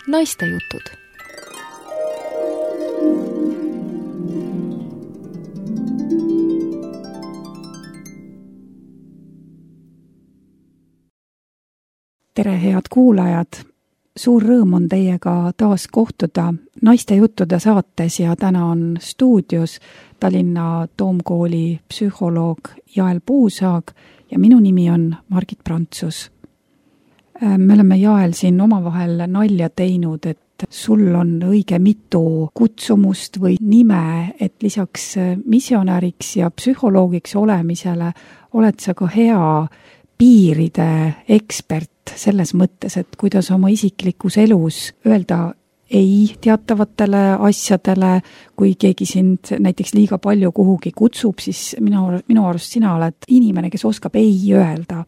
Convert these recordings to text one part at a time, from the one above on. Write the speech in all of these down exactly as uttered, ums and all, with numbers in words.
Naistejutud. Tere, head kuulajad! Suur rõõm on teiega taas kohtuda Naistejuttude saates ja täna on stuudios Tallinna Toomkooli psühholoog Jael Puusaag ja minu nimi on Margit Prantsus. Me oleme Jael siin omavahel nalja teinud, et sul on õige mitu kutsumust või nime, et lisaks missionäriks ja psühholoogiks olemisele oled sa ka hea piiride ekspert selles mõttes, et kuidas oma isiklikus elus öelda ei teatavatele asjadele, kui keegi sind näiteks liiga palju kuhugi kutsub, siis minu, minu arust sina oled inimene, kes oskab ei öelda.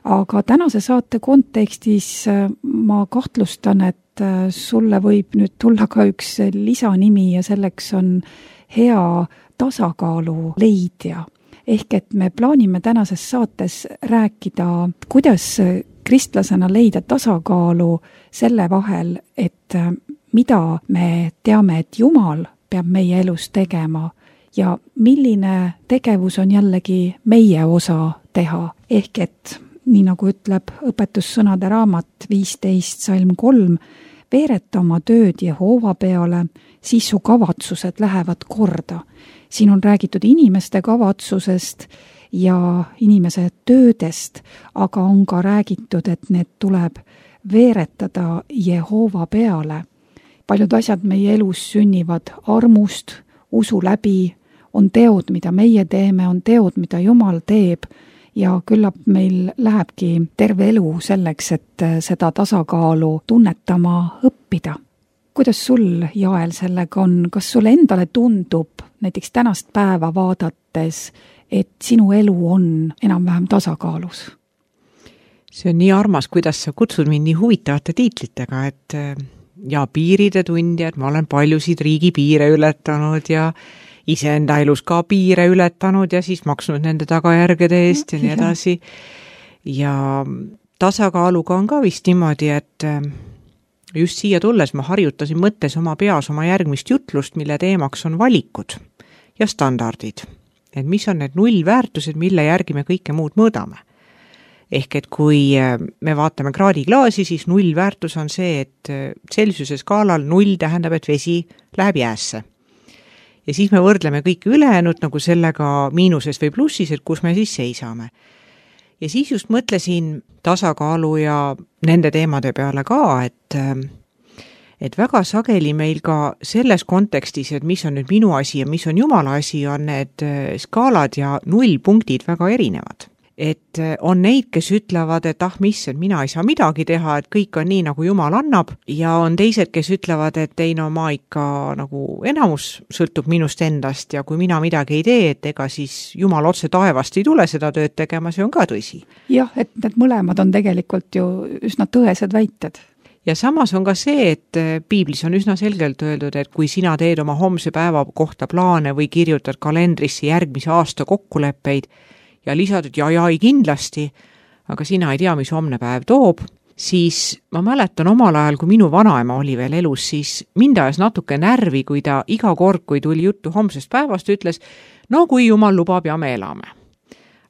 Aga tänase saate kontekstis ma kahtlustan, et sulle võib nüüd tulla ka üks lisanimi ja selleks on hea tasakaalu leidja. Ehk et me plaanime tänases saates rääkida, kuidas kristlasena leida tasakaalu selle vahel, et mida me teame, et Jumal peab meie elus tegema ja milline tegevus on jällegi meie osa teha. Ehk et, nii nagu ütleb õpetussõnade raamat viisteist salm kolm, veereta oma tööd Jehova peale, siis su kavatsused lähevad korda. Siin on räägitud inimeste kavatsusest ja inimese töödest, aga on ka räägitud, et need tuleb veeretada Jehova peale. Paljud asjad meie elus sünnivad armust, usu läbi, on teod, mida meie teeme, on teod, mida Jumal teeb ja küllap meil lähebki terve elu selleks, et seda tasakaalu tunnetama õppida. Kuidas sul, Jael, sellega on? Kas sulle endale tundub näiteks tänast päeva vaadates, et sinu elu on enam-vähem tasakaalus? See on nii armas, kuidas sa kutsud mind nii huvitavate tiitlitega, et ja piiride tundja, et ma olen paljusid riigi piire ületanud ja iseenda elus ka piire ületanud ja siis maksnud nende tagajärgede eest ja nii edasi. Ja tasakaaluga on ka vist niimoodi, et just siia tulles ma harjutasin mõttes oma peas oma järgmist jutlust, mille teemaks on valikud ja standardid. Et mis on need nullväärtused, mille järgi me kõike muud mõõdame. Ehk et kui me vaatame kraadiklaasi, siis nullväärtus on see, et Celsiuse skaalal null tähendab, et vesi läheb jäässe. Ja siis me võrdleme kõik ülejäänud nagu sellega miinuses või plussis, et kus me siis seisame. Ja siis just mõtlesin tasakaalu ja nende teemade peale ka, et, et väga sageli meil ka selles kontekstis, et mis on nüüd minu asi ja mis on Jumala asi, on need skaalad ja nullpunktid väga erinevad. Et on neid, kes ütlevad, et ah, mis, et mina ei saa midagi teha, et kõik on nii, nagu Jumal annab, ja on teised, kes ütlevad, et ei, no ma ikka nagu enamus sõltub minust endast ja kui mina midagi ei tee, et ega siis Jumal otse taevast ei tule seda tööd tegema, see on ka tõsi. Jah, et need mõlemad on tegelikult ju üsna tõesed väited. Ja samas on ka see, et piiblis on üsna selgelt öeldud, et kui sina teed oma homse päeva kohta plaane või kirjutad kalendrisse järgmise aasta kokkuleppeid, ja lisad, et ja, ja ei kindlasti, aga sina ei tea, mis homne päev toob, siis ma mäletan omal ajal, kui minu vanaema oli veel elus, siis mind ajas natuke närvi, kui ta iga kord, kui tuli juttu homsest päevast, ütles, no kui Jumal lubab ja me elame.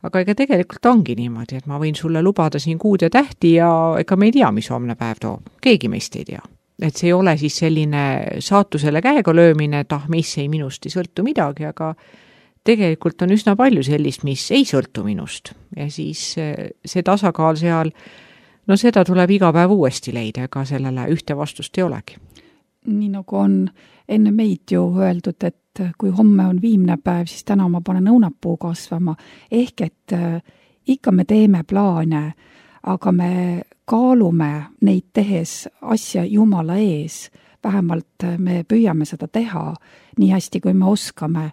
Aga ega tegelikult ongi niimoodi, et ma võin sulle lubada siin kuud ja tähti ja ega me ei tea, mis homne päev toob. Keegi meist ei tea. Et see ei ole siis selline saatusele käega löömine, et ah, mis ei minust ei sõltu midagi, aga tegelikult on üsna palju sellist, mis ei sõltu minust. Ja siis see tasakaal seal, no seda tuleb iga päev uuesti leida, ega sellele ühte vastust ei olegi. Nii nagu on enne meid ju öeldud, et kui homme on viimne päev, siis täna ma panen õunapuu kasvama. Ehk et ikka me teeme plaane, aga me kaalume neid tehes asja Jumala ees. Vähemalt me püüame seda teha nii hästi, kui me oskame.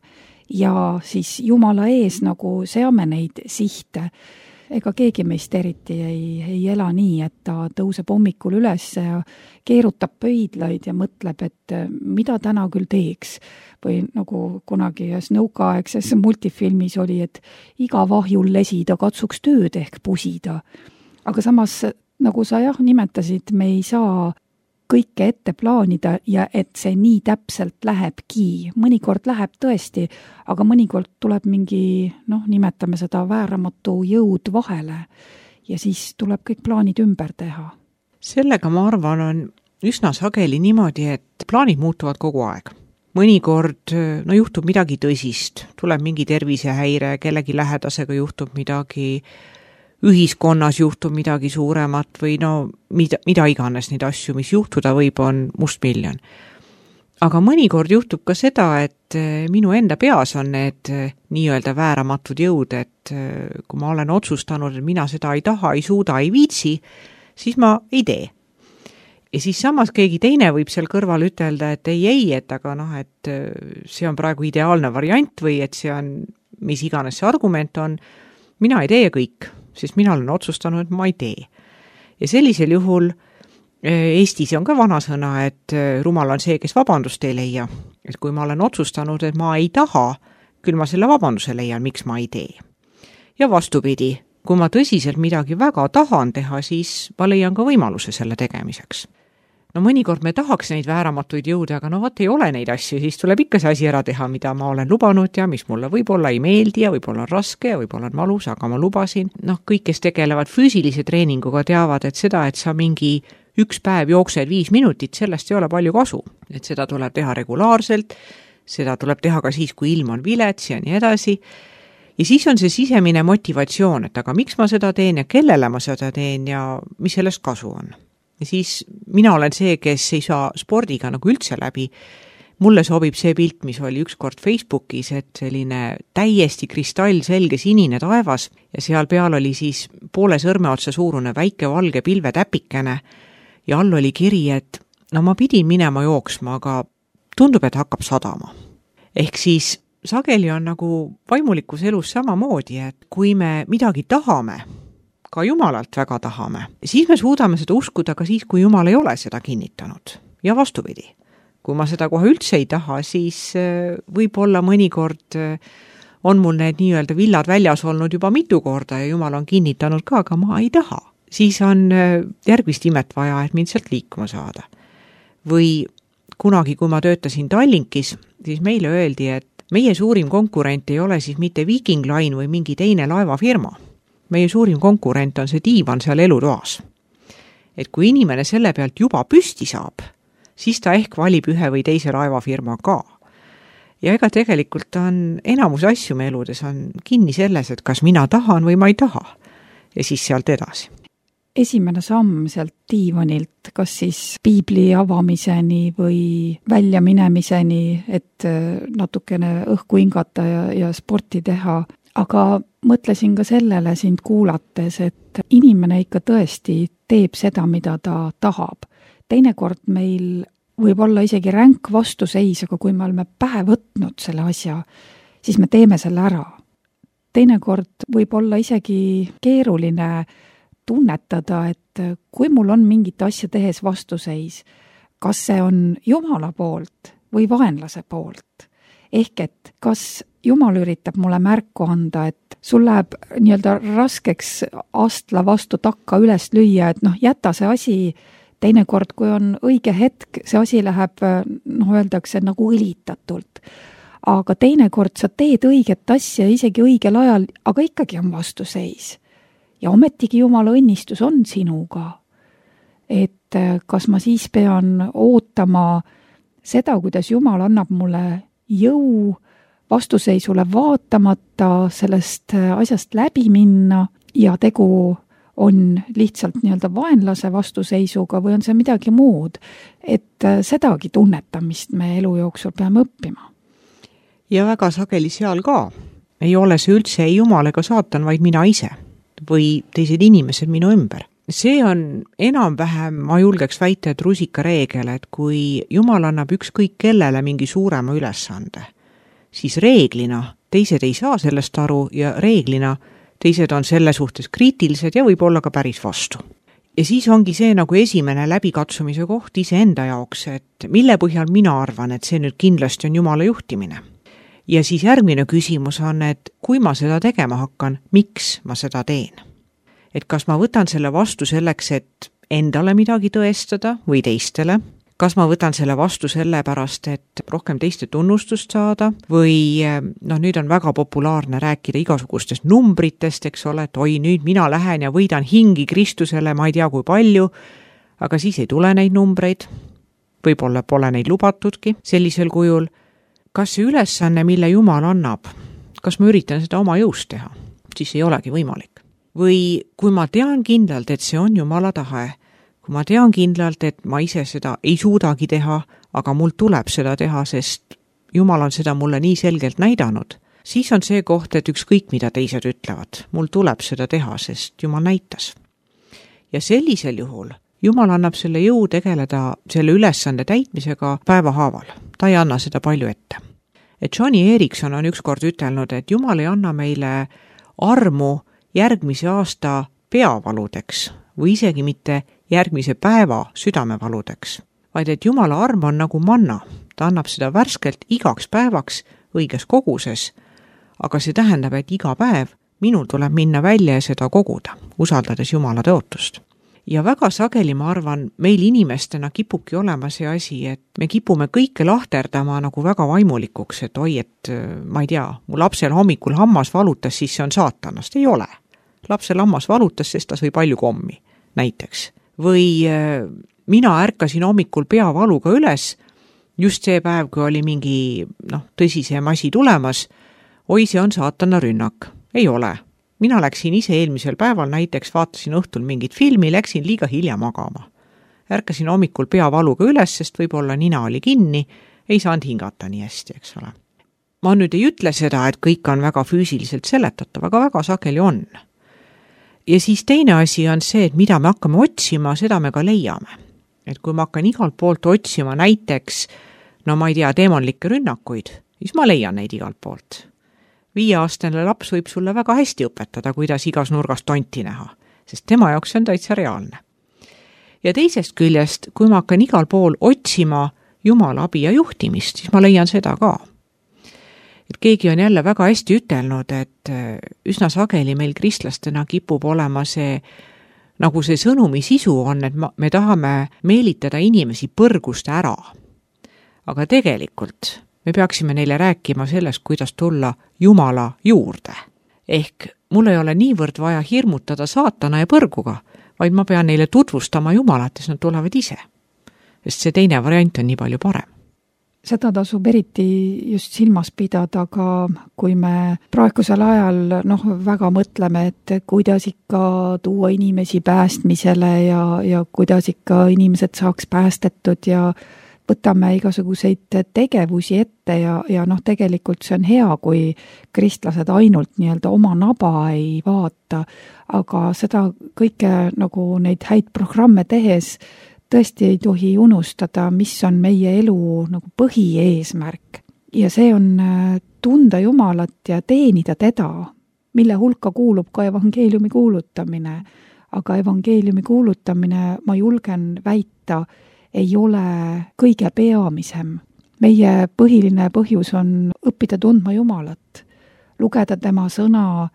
Ja siis Jumala ees nagu seame neid sihte. Ega keegi meist eriti ei, ei ela nii, et ta tõuseb hommikul üles ja keerutab pöidlaid ja mõtleb, et mida täna küll teeks. Või nagu kunagi ühes nõukaaegses multifilmis oli, et iga vahjul lesida katsuks tööd ehk pusida. Aga samas, nagu sa jah nimetasid, me ei saa kõike ette plaanida ja et see nii täpselt lähebki. Mõnikord läheb tõesti, aga mõnikord tuleb mingi, noh, nimetame seda vääramatu jõud vahele ja siis tuleb kõik plaanid ümber teha. Sellega ma arvan on üsna sageli niimoodi, et plaanid muutuvad kogu aeg. Mõnikord no, juhtub midagi tõsist, tuleb mingi tervisehäire, kellegi lähedasega juhtub midagi, ühiskonnas juhtub midagi suuremat või no mida, mida iganes neid asju, mis juhtuda võib, on mustmiljon. Aga mõnikord juhtub ka seda, et minu enda peas on need nii-öelda vääramatud jõud, et kui ma olen otsustanud, et mina seda ei taha, ei suuda, ei viitsi, siis ma ei tee. Ja siis samas keegi teine võib seal kõrval ütelda, et ei, ei, et aga noh, et see on praegu ideaalne variant või et see on, mis iganes see argument on, mina ei tee kõik, sest mina olen otsustanud, et ma ei tee. Ja sellisel juhul Eestis on ka vanasõna, et rumal on see, kes vabandust ei leia. Et kui ma olen otsustanud, et ma ei taha, küll ma selle vabanduse leian, miks ma ei tee. Ja vastupidi, kui ma tõsiselt midagi väga tahan teha, siis ma leian ka võimaluse selle tegemiseks. No mõnikord me tahaks neid vääramatuid jõude, aga no vaat ei ole neid asju, siis tuleb ikka see asi ära teha, mida ma olen lubanud ja mis mulle võib-olla ei meeldi ja võib-olla on raske ja võib-olla on valus, aga ma lubasin. Noh, kõik, kes tegelevad füüsilise treeninguga, teavad, et seda, et sa mingi üks päev jooksed viis minutit, sellest ei ole palju kasu. Et seda tuleb teha regulaarselt, seda tuleb teha ka siis, kui ilm on vilets ja nii edasi. Ja siis on see sisemine motivatsioon, et aga miks ma seda teen ja kellele ma seda teen ja mis sellest kasu on. Ja siis mina olen see, kes ei saa spordiga nagu üldse läbi. Mulle sobib see pilt, mis oli ükskord Facebookis, et selline täiesti kristallselge sinine taevas ja seal peal oli siis poole sõrme otsa suurune väike valge pilvetäpikene ja all oli kiri, et no ma pidin minema jooksma, aga tundub, et hakkab sadama. Ehk siis sageli on nagu vaimulikus elus samamoodi, et kui me midagi tahame, ka Jumalalt väga tahame, siis me suudame seda uskuda ka siis, kui Jumal ei ole seda kinnitanud. Ja vastupidi. Kui ma seda kohe üldse ei taha, siis võib-olla mõnikord on mul need nii-öelda villad väljas olnud juba mitu korda ja Jumal on kinnitanud ka, aga ma ei taha. Siis on järgmist imet vaja, et mind sealt liikuma saada. Või kunagi, kui ma töötasin Tallinkis, siis meile öeldi, et meie suurim konkurent ei ole siis mitte Viking Line või mingi teine laevafirma. Meie suurim konkurent on see diivan seal elutoas. Et kui inimene selle pealt juba püsti saab, siis ta ehk valib ühe või teise laevafirma ka. Ja ega tegelikult on enamus asju me eludes on kinni selles, et kas mina tahan või ma ei taha. Ja siis sealt edasi. Esimene samm sealt diivanilt, kas siis piibli avamiseni või välja minemiseni, et natukene õhku hingata ja, ja sporti teha. Aga mõtlesin ka sellele sind kuulates, et inimene ikka tõesti teeb seda, mida ta tahab. Teinekord meil võib olla isegi ränk vastuseis, aga kui me oleme pähe võtnud selle asja, siis me teeme selle ära. Teinekord võib olla isegi keeruline tunnetada, et kui mul on mingit asja tehes vastuseis, kas see on Jumala poolt või vaenlase poolt. Ehk et kas Jumal üritab mulle märku anda, et sul läheb nii-öelda raskeks astla vastu takka üles lüüa, et noh, jäta see asi teinekord, kui on õige hetk, see asi läheb, noh, öeldakse nagu õlitatult. Aga teinekord sa teed õiget asja isegi õigel ajal, aga ikkagi on vastuseis. Ja ometigi Jumala õnnistus on sinuga. Et kas ma siis pean ootama seda, kuidas Jumal annab mulle jõu vastuseisule vaatamata sellest asjast läbi minna ja tegu on lihtsalt nii-öelda vaenlase vastuseisuga või on see midagi muud, et sedagi tunnetamist me elu jooksul peame õppima. Ja väga sageli seal ka ei ole see üldse ei Jumal ega saatan, vaid mina ise või teised inimesed minu ümber. See on enam-vähem, ma julgeks väita, et rusika reegel, et kui Jumal annab ükskõik kellele mingi suurema ülesande, siis reeglina teised ei saa sellest aru ja reeglina teised on selle suhtes kriitilised ja võib olla ka päris vastu. Ja siis ongi see nagu esimene läbikatsumise koht iseenda jaoks, et mille põhjal mina arvan, et see nüüd kindlasti on Jumala juhtimine. Ja siis järgmine küsimus on, et kui ma seda tegema hakkan, miks ma seda teen? Et kas ma võtan selle vastu selleks, et endale midagi tõestada või teistele? Kas ma võtan selle vastu sellepärast, et rohkem teiste tunnustust saada või noh, nüüd on väga populaarne rääkida igasugustest numbritest, eks ole, et oi, nüüd mina lähen ja võidan hingi Kristusele, ma ei tea kui palju, aga siis ei tule neid numbreid, võib-olla pole neid lubatudki sellisel kujul. Kas see ülesanne, mille Jumal annab, kas ma üritan seda oma jõust teha, siis ei olegi võimalik. Või kui ma tean kindlalt, et see on Jumala tahe, kui ma tean kindlalt, et ma ise seda ei suudagi teha, aga mul tuleb seda teha, sest Jumal on seda mulle nii selgelt näidanud, siis on see koht, et ükskõik mida teised ütlevad, mul tuleb seda teha, sest Jumal näitas. Ja sellisel juhul Jumal annab selle jõu tegeleda selle ülesande täitmisega päevahaaval. Ta ei anna seda palju ette. Et Johnny Erickson on ükskord ütelnud, et Jumal ei anna meile armu järgmise aasta peavaludeks või isegi mitte järgmise päeva südamevaludeks, vaid et Jumala arm on nagu manna. Ta annab seda värskelt igaks päevaks õiges koguses, aga see tähendab, et iga päev minul tuleb minna välja ja seda koguda, usaldades Jumala tõotust. Ja väga sageli, ma arvan, meil inimestena kipubki olema see asi, et me kipume kõike lahterdama nagu väga vaimulikuks, et oi, et ma ei tea, mu lapsel hommikul hammas valutas, siis see on saatanast. Ei ole. Lapsel hammas valutas, sest ta sõi palju kommi, näiteks. Või mina ärkasin hommikul peavaluga üles, just see päev, kui oli mingi noh, tõsisem asi tulemas, oi, see on saatana rünnak. Ei ole. Mina läksin ise eelmisel päeval, näiteks vaatasin õhtul mingit filmi, läksin liiga hilja magama. Ärkasin hommikul peavaluga üles, sest võib-olla nina oli kinni, ei saanud hingata nii hästi, eks ole. Ma nüüd ei ütle seda, et kõik on väga füüsiliselt seletatav, aga väga sageli on. Ja siis teine asi on see, et mida me hakkame otsima, seda me ka leiame. Et kui ma hakkan igalt poolt otsima näiteks, no ma ei tea, demonlikke rünnakuid, siis ma leian neid igalt poolt. Viieaastane laps võib sulle väga hästi õpetada, kuidas igas nurgas tonti näha, sest tema jaoks on täitsa reaalne. Ja teisest küljest, kui ma hakkan igal pool otsima Jumala abi ja juhtimist, siis ma leian seda ka. Et keegi on jälle väga hästi ütelnud, et üsna sageli meil kristlastena kipub olema see, nagu see sõnumi sisu on, et me tahame meelitada inimesi põrgust ära. Aga tegelikult me peaksime neile rääkima sellest, kuidas tulla Jumala juurde. Ehk mul ei ole niivõrd vaja hirmutada saatana ja põrguga, vaid ma pean neile tutvustama Jumalat, siis nad tulevad ise. Sest see teine variant on nii palju parem. Seda tasub eriti just silmas pidada, aga kui me praegusel ajal noh, väga mõtleme, et kuidas ikka tuua inimesi päästmisele ja, ja kuidas ikka inimesed saaks päästetud ja võtame igasuguseid tegevusi ette ja, ja noh, tegelikult see on hea, kui kristlased ainult nii-öelda oma naba ei vaata, aga seda kõike nagu neid häid programme tehes tõesti ei tohi unustada, mis on meie elu nagu põhieesmärk. Ja see on tunda Jumalat ja teenida teda, mille hulka kuulub ka evangeeliumi kuulutamine. Aga evangeeliumi kuulutamine, ma julgen väita, ei ole kõige peamisem. Meie põhiline põhjus on õppida tundma Jumalat, lugeda tema sõna,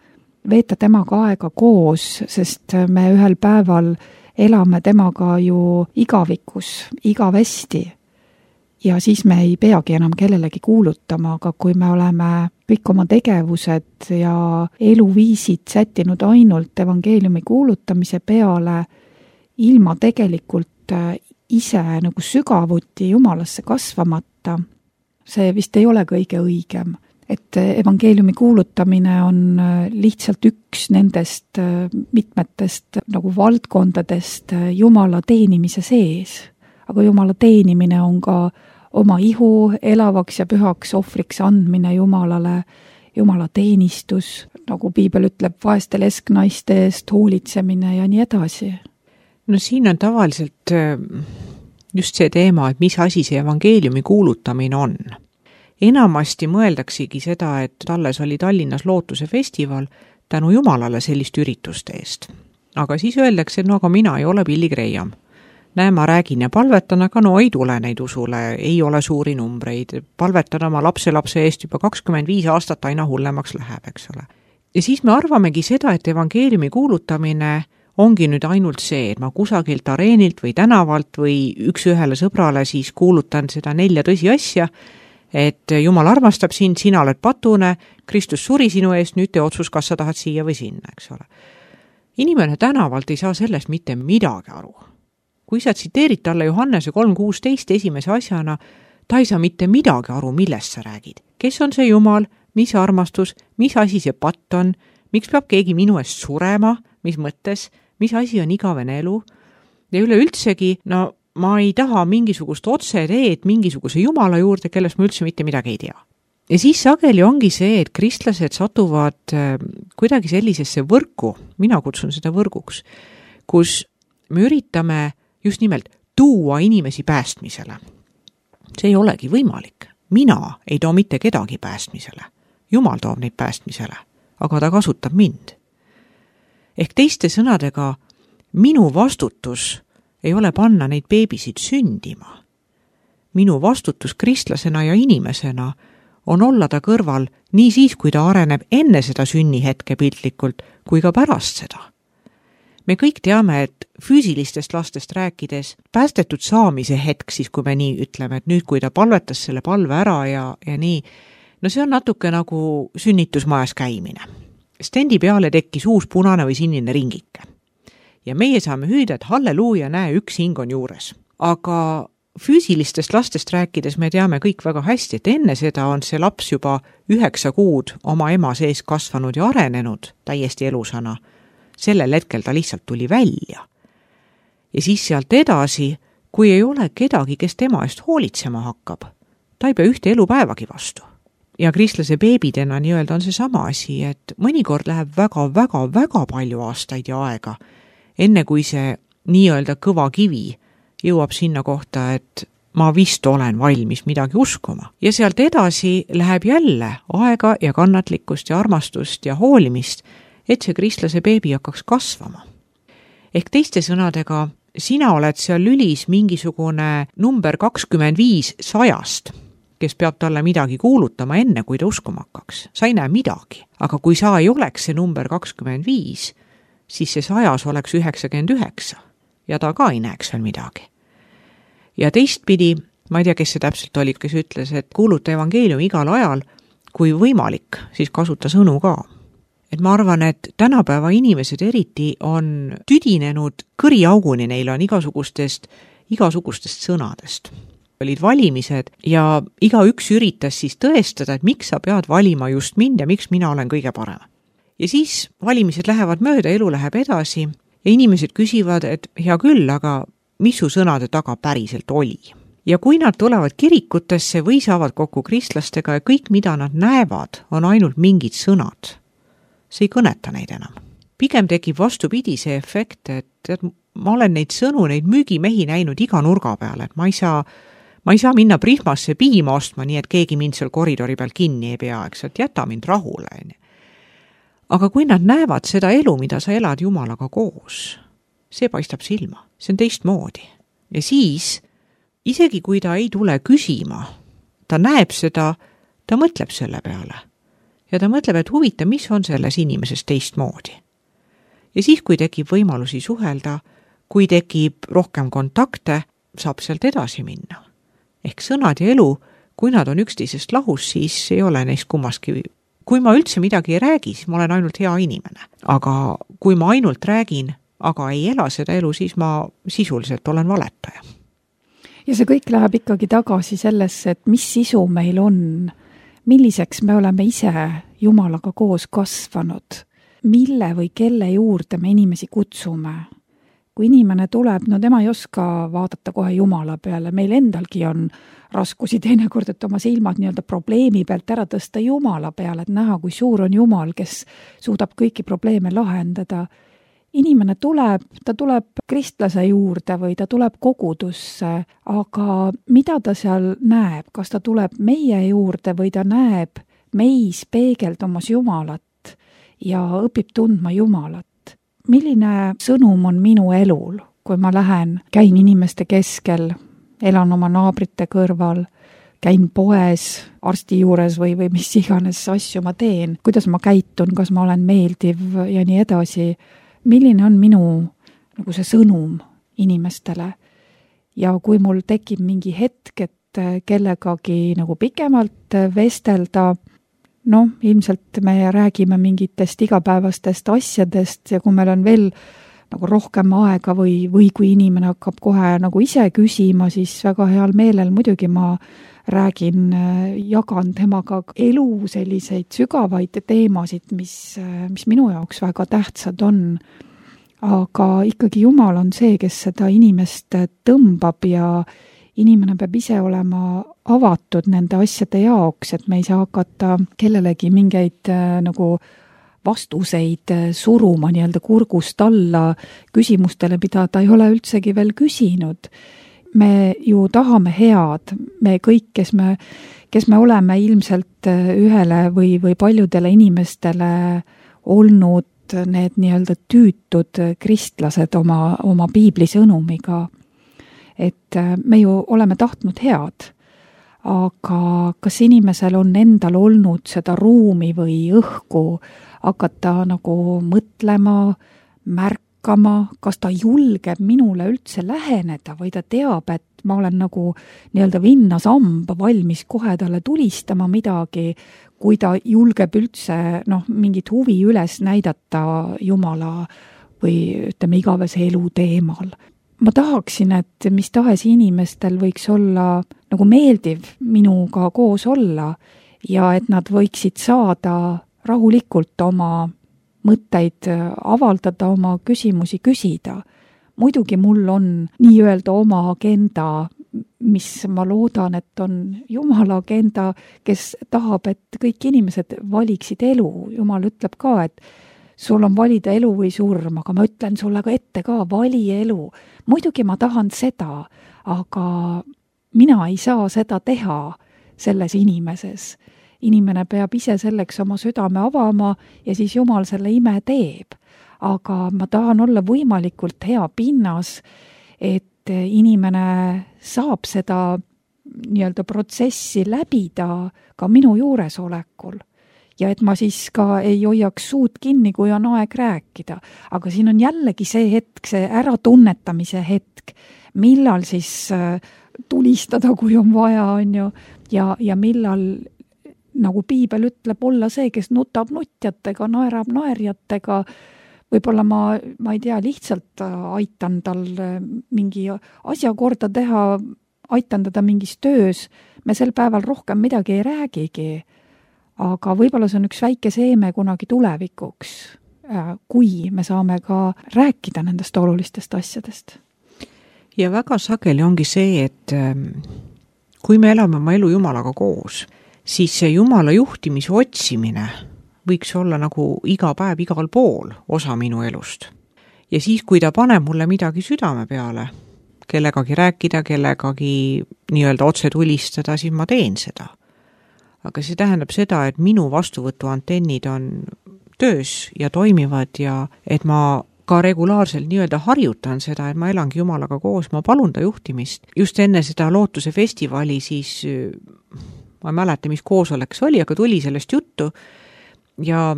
veeta temaga aega koos, sest me ühel päeval elame temaga ju igavikus, igavesti. Ja siis me ei peagi enam kellelegi kuulutama, aga kui me oleme kõik oma tegevused ja eluviisid sättinud ainult evangeeliumi kuulutamise peale, ilma tegelikult ise nagu sügavuti Jumalasse kasvamata, see vist ei ole kõige õigem. Et evangeeliumi kuulutamine on lihtsalt üks nendest mitmetest nagu valdkondadest Jumala teenimise sees. Aga Jumala teenimine on ka oma ihu elavaks ja pühaks ohvriks andmine Jumalale, Jumala teenistus, nagu piibel ütleb, vaeste lesknaiste eest hoolitsemine ja nii edasi. No siin on tavaliselt just see teema, et mis asi see evangeeliumi kuulutamine on. Enamasti mõeldaksegi seda, et alles oli Tallinnas Lootuse festival tänu Jumalale sellist ürituste eest. Aga siis öeldakse, et no aga mina ei ole Billy Graham. Näe, ma räägin ja palvetan, aga no ei tule neid usule, ei ole suuri numbreid. Palvetan oma lapselapse eest juba kakskümmend viis aastat aina hullemaks läheb, eks ole. Ja siis me arvamegi seda, et evangeeliumi kuulutamine ongi nüüd ainult see, et ma kusagilt areenilt või tänavalt või üks ühele sõbrale siis kuulutan seda nelja tõsiasja, et Jumal armastab sind, sina oled patune, Kristus suri sinu eest, nüüd tee otsus, kas sa tahad siia või sinna, eks ole. Inimene tänavalt ei saa sellest mitte midagi aru. Kui sa tsiteerid talle Johannese kolm kuusteist esimese asjana, ta ei saa mitte midagi aru, millest sa räägid. Kes on see Jumal, mis armastus, mis asi see patt on, miks peab keegi minu eest surema, mis mõttes, mis asi on igavene elu. Ja üleüldsegi, no ma ei taha mingisugust otseteed mingisuguse Jumala juurde, kellest ma üldse mitte midagi ei tea. Ja siis sageli ongi see, et kristlased satuvad kuidagi sellisesse võrku, mina kutsun seda võrguks, kus me üritame just nimelt tuua inimesi päästmisele. See ei olegi võimalik. Mina ei too mitte kedagi päästmisele. Jumal toob neid päästmisele, aga ta kasutab mind. Ehk teiste sõnadega, minu vastutus ei ole panna neid beebisid sündima. Minu vastutus kristlasena ja inimesena on olla ta kõrval nii siis, kui ta areneb enne seda sünnihetke piltlikult, kui ka pärast seda. Me kõik teame, et füüsilistest lastest rääkides päästetud saamise hetk, siis kui me nii ütleme, et nüüd, kui ta palvetas selle palve ära ja, ja nii, no see on natuke nagu sünnitusmajas käimine. Stendi peale tekkis uus punane või sinine ringike. Ja meie saame hüüda, et halleluuja, näe, üks hing on juures. Aga füüsilistest lastest rääkides me teame kõik väga hästi, et enne seda on see laps juba üheksa kuud oma ema sees kasvanud ja arenenud täiesti elusana. Sellel hetkel ta lihtsalt tuli välja. Ja siis sealt edasi, kui ei ole kedagi, kes tema eest hoolitsema hakkab, ta ei pea ühte elupäevagi vastu. Ja kristlase beebidena nii-öelda on see sama asi, et mõnikord läheb väga-väga-väga palju aastaid ja aega, enne kui see nii-öelda kõva kivi jõuab sinna kohta, et ma vist olen valmis midagi uskuma. Ja sealt edasi läheb jälle aega ja kannatlikkust ja armastust ja hoolimist, et see kristlase beebi hakkaks kasvama. Ehk teiste sõnadega, sina oled seal lülis mingisugune number kakskümmend viis sajast, kes peab talle midagi kuulutama enne, kui ta uskuma hakkaks. Sa ei näe midagi. Aga kui sa ei oleks see number kakskümmend viis, siis see sajas oleks üheksakümmend üheksa ja ta ka ei näeks veel midagi. Ja teistpidi, ma ei tea, kes see täpselt oli, kes ütles, et kuuluta evangeelium igal ajal, kui võimalik, siis kasuta sõnu ka. Et ma arvan, et tänapäeva inimesed eriti on tüdinenud kõriauguni, neil on igasugustest, igasugustest sõnadest. Olid valimised ja iga üks üritas siis tõestada, et miks sa pead valima just mind ja miks mina olen kõige parem. Ja siis valimised lähevad mööda, elu läheb edasi ja inimesed küsivad, et hea küll, aga mis su sõnade taga päriselt oli? Ja kui nad tulevad kirikutesse või saavad kokku kristlastega ja kõik, mida nad näevad, on ainult mingid sõnad, see ei kõneta neid enam. Pigem tekib vastupidi see efekt, et, et ma olen neid sõnu, neid müügimehi näinud iga nurga peal, et ma ei saa, ma ei saa minna Prihmasse piima ostma, nii et keegi mind seal koridori peal kinni ei pea, eks, et jäta mind rahule. Aga kui nad näevad seda elu, mida sa elad Jumalaga koos, see paistab silma, see on teistmoodi. Ja siis, isegi kui ta ei tule küsima, ta näeb seda, ta mõtleb selle peale. Ja ta mõtleb, et huvita, mis on selles inimeses teistmoodi. Ja siis, kui tekib võimalusi suhelda, kui tekib rohkem kontakte, saab sealt edasi minna. Ehk sõnad ja elu, kui nad on üksteisest lahus, siis ei ole neist kummaski. Kui ma üldse midagi ei räägi, siis ma olen ainult hea inimene. Aga kui ma ainult räägin, aga ei ela seda elu, siis ma sisuliselt olen valetaja. Ja see kõik läheb ikkagi tagasi sellesse, et mis sisu meil on, milliseks me oleme ise Jumalaga koos kasvanud, mille või kelle juurde me inimesi kutsume. Kui inimene tuleb, no tema ei oska vaadata kohe Jumala peale, meil endalgi on raskusi teinekord, et oma silmad nii-öelda probleemi pealt ära tõsta Jumala peale, et näha, kui suur on Jumal, kes suudab kõiki probleeme lahendada. Inimene tuleb, ta tuleb kristlase juurde või ta tuleb kogudusse, aga mida ta seal näeb? Kas ta tuleb meie juurde või ta näeb meis peegeldumas Jumalat ja õpib tundma Jumalat? Milline sõnum on minu elul, kui ma lähen, käin inimeste keskel, elan oma naabrite kõrval, käin poes, arsti juures või, või mis iganes asju ma teen, kuidas ma käitun, kas ma olen meeldiv ja nii edasi. milline on minu nagu see sõnum inimestele. Ja kui mul tekib mingi hetk, et kellegagi nagu pikemalt vestelda, noh, ilmselt me räägime mingitest igapäevastest asjadest ja kui meil on veel nagu rohkem aega või, või kui inimene hakkab kohe nagu ise küsima, siis väga heal meelel muidugi ma räägin, jagan temaga elu selliseid sügavaid teemasid, mis, mis minu jaoks väga tähtsad on. Aga ikkagi Jumal on see, kes seda inimest tõmbab ja inimene peab ise olema avatud nende asjade jaoks, et me ei saa hakata kellelegi mingeid nagu vastuseid suruma nii-öelda kurgust alla küsimustele, mida ta ei ole üldsegi veel küsinud. Me ju tahame head, me kõik, kes me, kes me oleme ilmselt ühele või, või paljudele inimestele olnud need nii-öelda tüütud kristlased oma, oma piibli sõnumiga. Et me ju oleme tahtnud head, aga kas inimesel on endal olnud seda ruumi või õhku hakata nagu mõtlema, märkama, kas ta julgeb minule üldse läheneda või ta teab, et ma olen nagu nii-öelda vinnasamba valmis kohe talle tulistama midagi, kui ta julgeb üldse noh, mingit huvi üles näidata Jumala või ütleme igavese elu teemal. Ma tahaksin, et mis tahes inimestel võiks olla nagu meeldiv minuga koos olla ja et nad võiksid saada rahulikult oma mõtteid avaldada, oma küsimusi küsida. Muidugi mul on nii-öelda oma agenda, mis ma loodan, et on Jumala agenda, kes tahab, et kõik inimesed valiksid elu. Jumal ütleb ka, et sul on valida elu või surm, aga ma ütlen sulle ka ette ka, vali elu. Muidugi ma tahan seda, aga mina ei saa seda teha selles inimeses. Inimene peab ise selleks oma südame avama ja siis Jumal selle ime teeb. Aga ma tahan olla võimalikult hea pinnas, et inimene saab seda nii-öelda protsessi läbida ka minu juuresolekul. Ja et ma siis ka ei hoiaks suud kinni, kui on aeg rääkida. Aga siin on jällegi see hetk, see äratunnetamise hetk, millal siis tulistada, kui on vaja, on ju, ja, ja millal nagu piibel ütleb olla see, kes nutab nutjatega, naerab naerjatega. Võib-olla ma, ma ei tea, lihtsalt aitan tal mingi asja korda teha, aitan teda mingis töös. Me sel päeval rohkem midagi ei räägigi. Aga võib-olla see on üks väike seeme kunagi tulevikuks, kui me saame ka rääkida nendest olulistest asjadest. Ja väga sageli ongi see, et kui me elame oma elu Jumalaga koos, siis see Jumala juhtimise otsimine võiks olla nagu iga päev igal pool osa minu elust. Ja siis, kui ta paneb mulle midagi südame peale, kellegagi rääkida, kellegagi nii-öelda otse tulistada, siis ma teen seda. Aga see tähendab seda, et minu vastuvõtu antennid on töös ja toimivad ja et ma ka regulaarselt nii-öelda harjutan seda, et ma elangi Jumalaga koos, ma palun ta juhtimist. Just enne seda Lootuse festivali siis, ma ei mäleta, mis koosolek see oli, aga tuli sellest juttu ja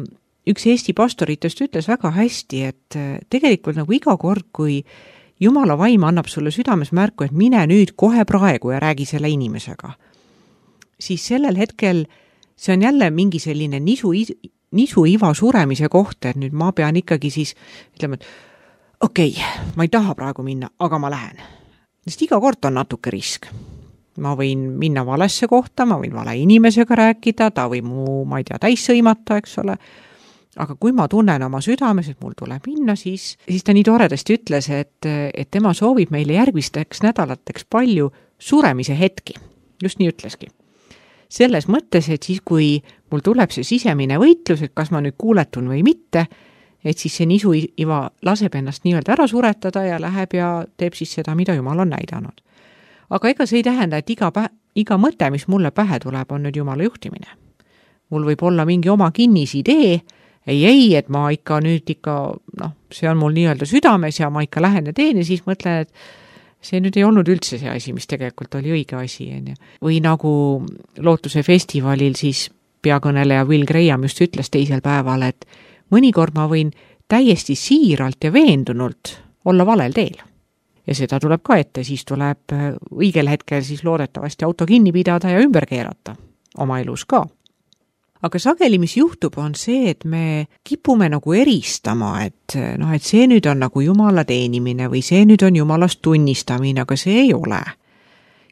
üks Eesti pastoritest ütles väga hästi, et tegelikult nagu iga kord, kui Jumala vaim annab sulle südames märku, et mine nüüd kohe praegu ja räägi selle inimesega, siis sellel hetkel see on jälle mingi selline nisu, nisu iva suremise koht, et nüüd ma pean ikkagi siis ütlema, et okei, okay, ma ei taha praegu minna, aga ma lähen. Sest iga kord on natuke risk. Ma võin minna valesse kohta, ma võin vale inimesega rääkida, ta või mu, ma ei tea, täis sõimata, eks ole. Aga kui ma tunnen oma südames, et mul tuleb minna, siis, siis ta nii toredasti ütles, et, et tema soovib meile järgmisteks nädalateks palju suremise hetki. Just nii ütleski. Selles mõttes, et siis kui mul tuleb see sisemine võitlus, et kas ma nüüd kuuletun või mitte, et siis see nisu iva laseb ennast nii-öelda ära suretada ja läheb ja teeb siis seda, mida Jumal on näidanud. Aga ega see ei tähenda, et iga, pä- iga mõte, mis mulle pähe tuleb, on nüüd Jumala juhtimine. Mul võib olla mingi oma kinnis idee, ei, ei, et ma ikka nüüd ikka, noh, see on mul nii-öelda südames ja ma ikka lähen ja teen ja siis mõtlen, et see nüüd ei olnud üldse see asi, mis tegelikult oli õige asi. Või nagu Lootuse festivalil siis peakõneleja Will Graham just ütles teisel päeval, et mõnikord ma võin täiesti siiralt ja veendunult olla valel teel. Ja seda tuleb ka ette, siis tuleb õigel hetkel siis loodetavasti auto kinni pidada ja ümber keerata oma elus ka. Aga sageli, mis juhtub, on see, et me kipume nagu eristama, et, noh, et see nüüd on nagu Jumala teenimine või see nüüd on Jumalast tunnistamine, aga see ei ole.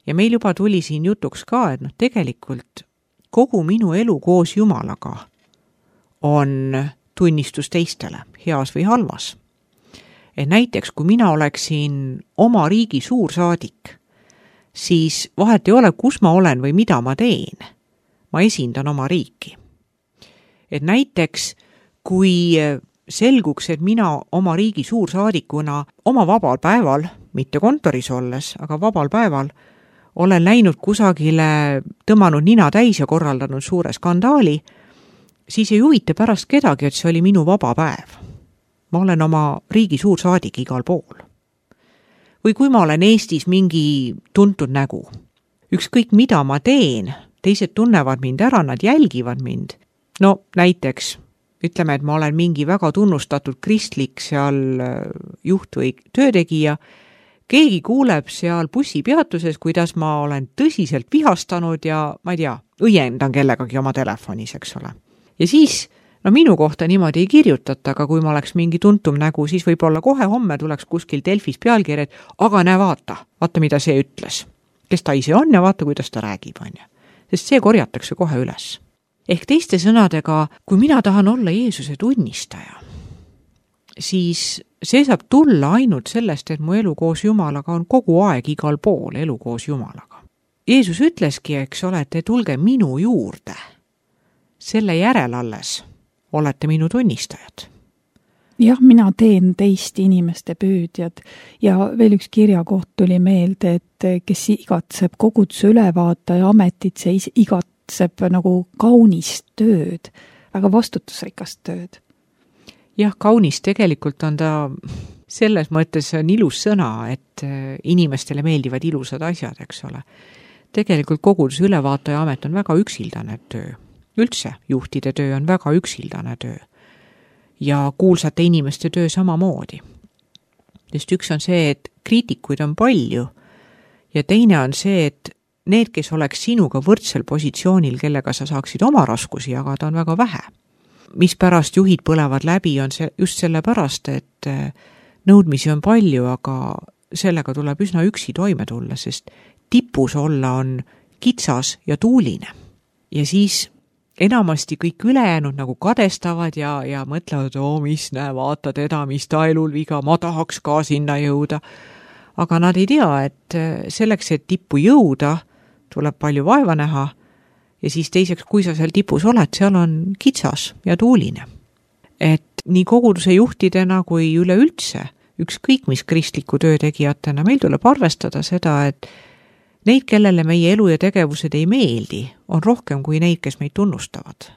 Ja meil juba tuli siin jutuks ka, et noh, tegelikult kogu minu elu koos Jumalaga on tunnistus teistele, heas või halvas. Et näiteks, kui mina oleksin oma riigi suursaadik, siis vahet ei ole, kus ma olen või mida ma teen. Ma esindan oma riiki. Et näiteks, kui selguks, et mina oma riigi suursaadikuna oma vabal päeval, mitte kontoris olles, aga vabal päeval, olen läinud kusagile, tõmmanud nina täis ja korraldanud suure skandaali, siis ei huvita pärast kedagi, et see oli minu vaba päev. Ma olen oma riigi suursaadik igal pool. Või kui ma olen Eestis mingi tuntud nägu, ükskõik mida ma teen, teised tunnevad mind ära, nad jälgivad mind. No näiteks, ütleme, et ma olen mingi väga tunnustatud kristlik seal juht või töötegija, keegi kuuleb seal bussipeatuses, kuidas ma olen tõsiselt vihastanud ja ma ei tea, õiendan kellegagi oma telefonis, eks ole. Ja siis, no minu kohta niimoodi ei kirjutata, aga kui ma oleks mingi tuntum nägu, siis võib-olla kohe homme tuleks kuskil Delfis pealkirjad, aga näe vaata, vaata mida see ütles. Kes ta ise on ja vaata, kuidas ta räägib, on ju. Sest see korjatakse kohe üles. Ehk teiste sõnadega, kui mina tahan olla Jeesuse tunnistaja, siis see saab tulla ainult sellest, et mu elu koos Jumalaga on kogu aeg igal pool elu koos Jumalaga. Jeesus ütleski, eks ole, et te tulge minu juurde. Selle järel alles olete minu tunnistajad. Jah, mina teen teist inimeste püüdjad ja veel üks kirjakoht tuli meelde, et kes igatseb koguduse ülevaataja ametit, see igatseb nagu kaunist tööd, väga vastutusrikast tööd. Jah, kaunis tegelikult on ta selles mõttes on ilus sõna, et inimestele meeldivad ilusad asjad, eks ole. Tegelikult koguduse ülevaataja amet on väga üksildane töö. Üldse juhtide töö on väga üksildane töö. Ja kuulsate inimeste töö samamoodi. Sest üks on see, et kriitikuid on palju ja teine on see, et need, kes oleks sinuga võrdsel positsioonil, kellega sa saaksid oma raskusi jagada, on väga vähe. Mis pärast juhid põlevad läbi, on see just selle pärast, et nõudmisi on palju, aga sellega tuleb üsna üksi toime tulla, sest tipus olla on kitsas ja tuuline. Ja siis enamasti kõik ülejäänud nagu kadestavad ja, ja mõtlevad, oo, mis näe, vaata teda, mis ta elul viga, ma tahaks ka sinna jõuda. Aga nad ei tea, et selleks, et tippu jõuda, tuleb palju vaeva näha ja siis teiseks, kui sa seal tipus oled, seal on kitsas ja tuuline. Et nii koguduse juhtidena kui üleüldse, ükskõik mis kristliku töötegijatena, meil tuleb arvestada seda, et neid, kellele meie elu ja tegevused ei meeldi, on rohkem kui neid, kes meid tunnustavad.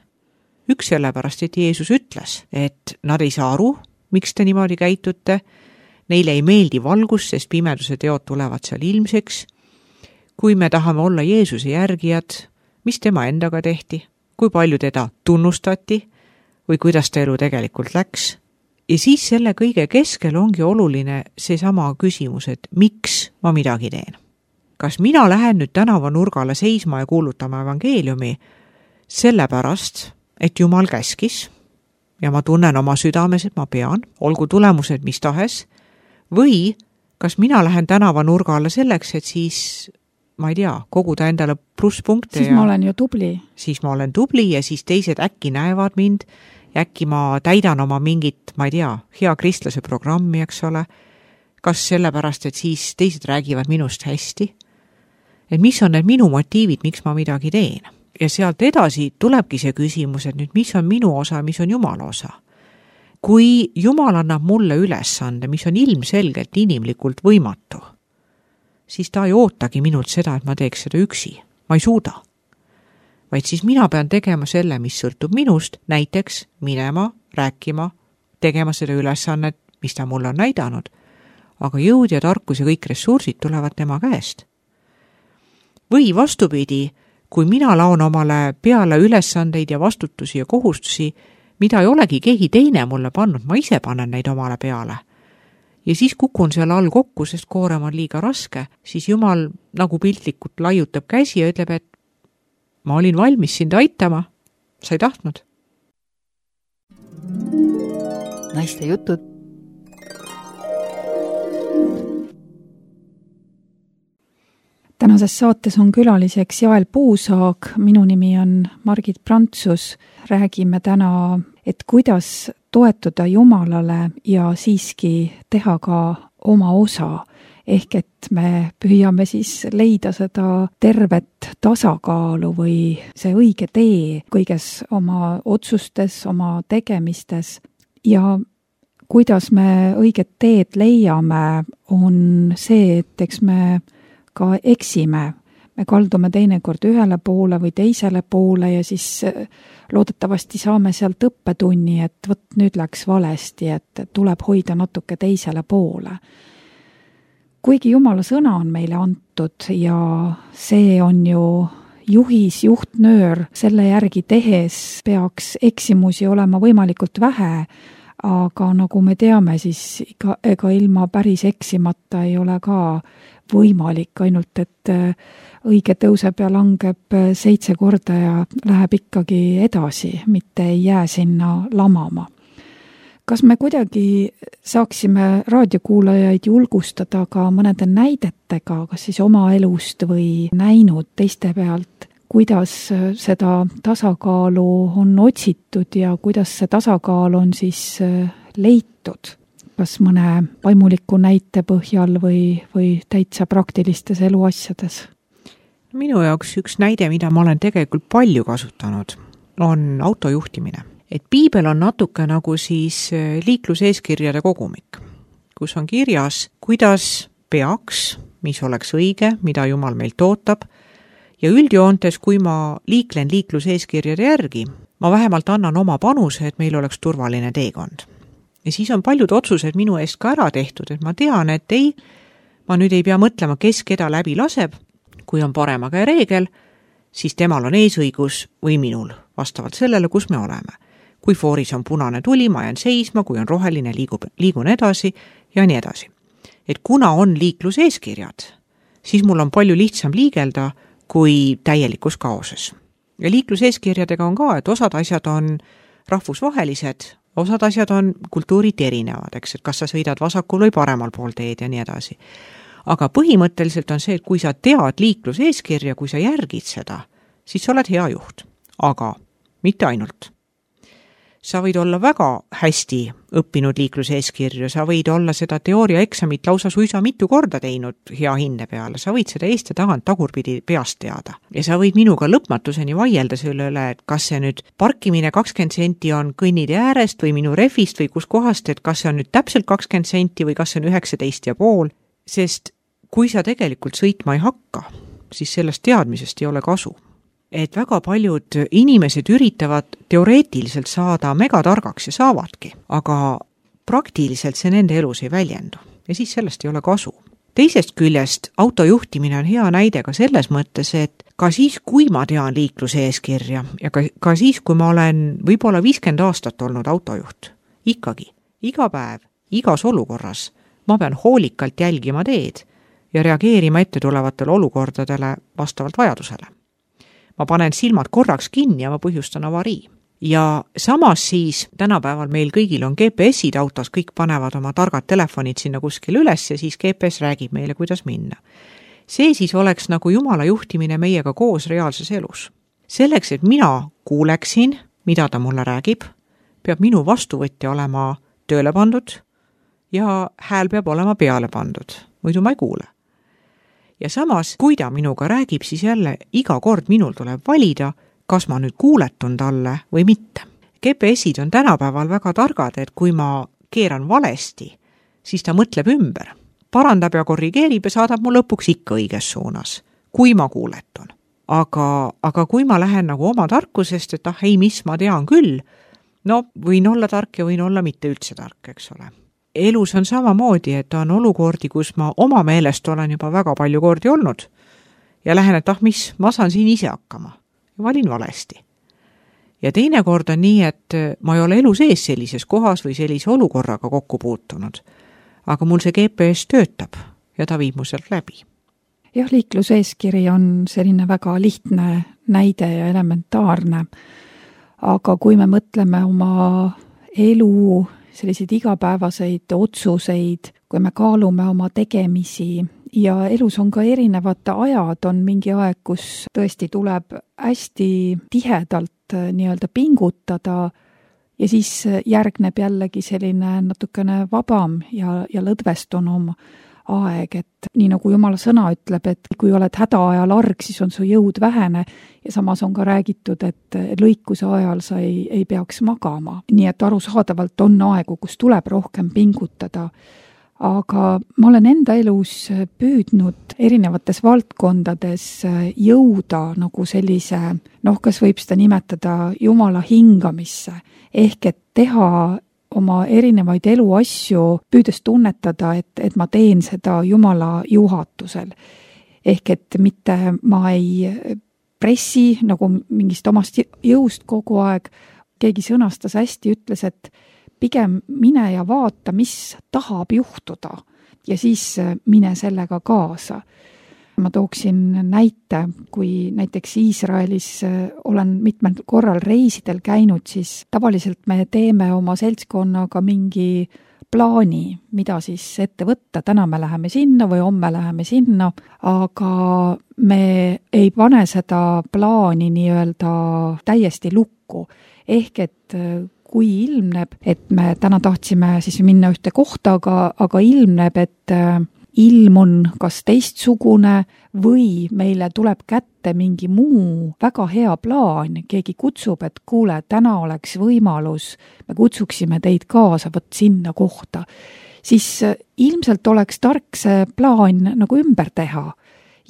Üks sellepärast, et Jeesus ütles, et nad ei saa aru, miks te niimoodi käitute, neile ei meeldi valgus, sest pimeduse teod tulevad seal ilmseks. Kui me tahame olla Jeesuse järgijad, mis tema endaga tehti, kui palju teda tunnustati või kuidas ta elu tegelikult läks. Ja siis selle kõige keskel ongi oluline seesama küsimus, et miks ma midagi teen. Kas mina lähen nüüd tänava nurgale seisma ja kuulutama evangeeliumi sellepärast, et Jumal käskis ja ma tunnen oma südames, et ma pean, olgu tulemused mis tahes, või kas mina lähen tänava nurgale selleks, et siis, ma ei tea, koguda endale plusspunkte. Siis ja, ma olen ju tubli. Siis ma olen tubli ja siis teised äkki näevad mind ja äkki ma täidan oma mingit, ma ei tea, hea kristlase programmi, eks ole. Kas sellepärast, et siis teised räägivad minust hästi? Et mis on need minu motiivid, miks ma midagi teen? Ja sealt edasi tulebki see küsimus, et nüüd mis on minu osa, mis on Jumala osa. Kui Jumal annab mulle ülesande, mis on ilmselgelt inimlikult võimatu, siis ta ei ootagi minult seda, et ma teeks seda üksi. Ma ei suuda. Vaid siis mina pean tegema selle, mis sõltub minust, näiteks minema, rääkima, tegema seda ülesannet, mis ta mulle on näidanud. Aga jõud ja tarkus ja kõik ressursid tulevad tema käest. Või vastupidi, kui mina laon omale peale ülesandeid ja vastutusi ja kohustusi, mida ei olegi keegi teine mulle pannud, ma ise panen neid omale peale. Ja siis kukun seal all kokku, sest koorem on liiga raske, siis Jumal nagu piltlikult laiutab käsi ja ütleb, et ma olin valmis sind aitama, sa ei tahtnud. Naiste jutud. Tänases saates on külaliseks Jael Puusaag, minu nimi on Margit Prantsus. Räägime täna, et kuidas toetuda Jumalale ja siiski teha ka oma osa. Ehk et me püüame siis leida seda tervet tasakaalu või see õige tee kõiges oma otsustes, oma tegemistes. Ja kuidas me õiget teed leiame, on see, et eks me ka eksime. Me kaldume teinekord ühele poole või teisele poole ja siis loodetavasti saame sealt õppetunni, et võt nüüd läks valesti, et tuleb hoida natuke teisele poole. Kuigi Jumala sõna on meile antud ja see on ju juhis, juhtnöör, selle järgi tehes peaks eksimusi olema võimalikult vähe, aga nagu me teame, siis ega, ega ilma päris eksimata ei ole ka võimalik, ainult et õige tõuseb ja langeb seitse korda ja läheb ikkagi edasi, mitte ei jää sinna lamama. Kas me kuidagi saaksime raadiokuulajaid julgustada ka mõnede näidetega, kas siis oma elust või näinud teiste pealt, kuidas seda tasakaalu on otsitud ja kuidas see tasakaal on siis leitud? Kas mõne vaimuliku näite põhjal või, või täitsa praktilistes eluasjades? Minu jaoks üks näide, mida ma olen tegelikult palju kasutanud, on autojuhtimine. Et piibel on natuke nagu siis liikluseeskirjade kogumik, kus on kirjas, kuidas peaks, mis oleks õige, mida Jumal meilt ootab, ja üldjoontes, kui ma liiklen liikluseeskirjade järgi, ma vähemalt annan oma panuse, et meil oleks turvaline teekond. Ja siis on paljud otsused minu eest ka ära tehtud, et ma tean, et ei, ma nüüd ei pea mõtlema, kes keda läbi laseb, kui on parema käe reegel, siis temal on eesõigus või minul, vastavalt sellele, kus me oleme. Kui fooris on punane tuli, ma jään seisma, kui on roheline, liigub, liigun edasi ja nii edasi. Et kuna on liikluseeskirjad, siis mul on palju lihtsam liigelda kui täielikus kaoses. Ja liikluseeskirjadega on ka, et osad asjad on rahvusvahelised, osad asjad on kultuurid erinevad, eks, et kas sa sõidad vasakul või paremal pool teed ja nii edasi. Aga põhimõtteliselt on see, et kui sa tead liikluseeskirja, kui sa järgid seda, siis sa oled hea juht. Aga mitte ainult. Sa võid olla väga hästi õppinud liikluseeskirju, sa võid olla seda teooria eksamit lausa suisa mitu korda teinud hea hinde peale, sa võid seda eest ja tagant tagurpidi peast teada. Ja sa võid minuga lõpmatuseni vaielda selle üle, et kas see nüüd parkimine kakskümmend senti on kõnnitee äärest või minu refist või kus kohast, et kas see on nüüd täpselt kakskümmend senti või kas see on üheksateist ja pool, sest kui sa tegelikult sõitma ei hakka, siis sellest teadmisest ei ole kasu. Et väga paljud inimesed üritavad teoreetiliselt saada megatargaks ja saavadki, aga praktiliselt see nende elus ei väljendu ja siis sellest ei ole kasu. Teisest küljest autojuhtimine on hea näide ka selles mõttes, et ka siis, kui ma tean liikluseeskirja ja ka, ka siis, kui ma olen võib-olla viiskümmend aastat olnud autojuht, ikkagi, iga päev, igas olukorras ma pean hoolikalt jälgima teed ja reageerima ette tulevatele olukordadele vastavalt vajadusele. Ma panen silmad korraks kinni ja ma põhjustan avarii. Ja samas siis tänapäeval meil kõigil on G P S-id autos, kõik panevad oma targad telefonid sinna kuskil üles ja siis G P S räägib meile, kuidas minna. See siis oleks nagu Jumala juhtimine meiega koos reaalses elus. Selleks, et mina kuuleksin, mida ta mulle räägib, peab minu vastuvõtja olema tööle pandud ja hääl peab olema peale pandud, muidu ma ei kuule. Ja samas, kui ta minuga räägib, siis jälle iga kord minul tuleb valida, kas ma nüüd kuuletun talle või mitte. G P S-id on tänapäeval väga targad, et kui ma keeran valesti, siis ta mõtleb ümber, parandab ja korrigeerib ja saadab mu lõpuks ikka õiges suunas, kui ma kuuletun. Aga, aga kui ma lähen nagu oma tarkusest, et ah ei, mis ma tean küll, no võin olla tark ja võin olla mitte üldse tark, eks ole. Elus on samamoodi, et on olukordi, kus ma oma meelest olen juba väga palju kordi olnud ja lähen, et ah mis, ma saan siin ise hakkama ja valin valesti. ja teinekord on nii, et ma ei ole elu sees sellises kohas või sellise olukorraga kokku puutunud, aga mul see G P S töötab ja ta viib mu sealt läbi. Jah, liikluseeskiri on selline väga lihtne näide ja elementaarne, aga kui me mõtleme oma elu selliseid igapäevaseid otsuseid, kui me kaalume oma tegemisi ja elus on ka erinevad ajad, on mingi aeg, kus tõesti tuleb hästi tihedalt nii-öelda pingutada ja siis järgneb jällegi selline natukene vabam ja, ja lõdvestunum aeg, et nii nagu Jumala sõna ütleb, et kui oled hädaajal arg, siis on su jõud vähene ja samas on ka räägitud, et lõikuse ajal sa ei, ei peaks magama. Nii et arusaadavalt on aegu, kus tuleb rohkem pingutada. Aga ma olen enda elus püüdnud erinevates valdkondades jõuda nagu sellise, noh, kas võib seda nimetada Jumala hingamisse, ehk et teha oma erinevaid eluasju, püüdes tunnetada, et, et ma teen seda Jumala juhatusel. Ehk et mitte ma ei pressi nagu mingist omast jõust kogu aeg. Keegi sõnastas hästi, ütles, et pigem mine ja vaata, mis tahab juhtuda ja siis mine sellega kaasa. Ma tooksin näite, kui näiteks Iisraelis olen mitmel korral reisidel käinud, siis tavaliselt me teeme oma seltskonnaga mingi plaani, mida siis ette võtta. Täna me läheme sinna või homme läheme sinna, aga me ei pane seda plaani nii-öelda täiesti lukku. Ehk et kui ilmneb, et me täna tahtsime siis minna ühte kohta, aga, aga ilmneb, et ilm on kas teistsugune või meile tuleb kätte mingi muu väga hea plaan. Keegi kutsub, et kuule, täna oleks võimalus, me kutsuksime teid kaasa võt sinna kohta. Siis ilmselt oleks tark see plaan nagu ümber teha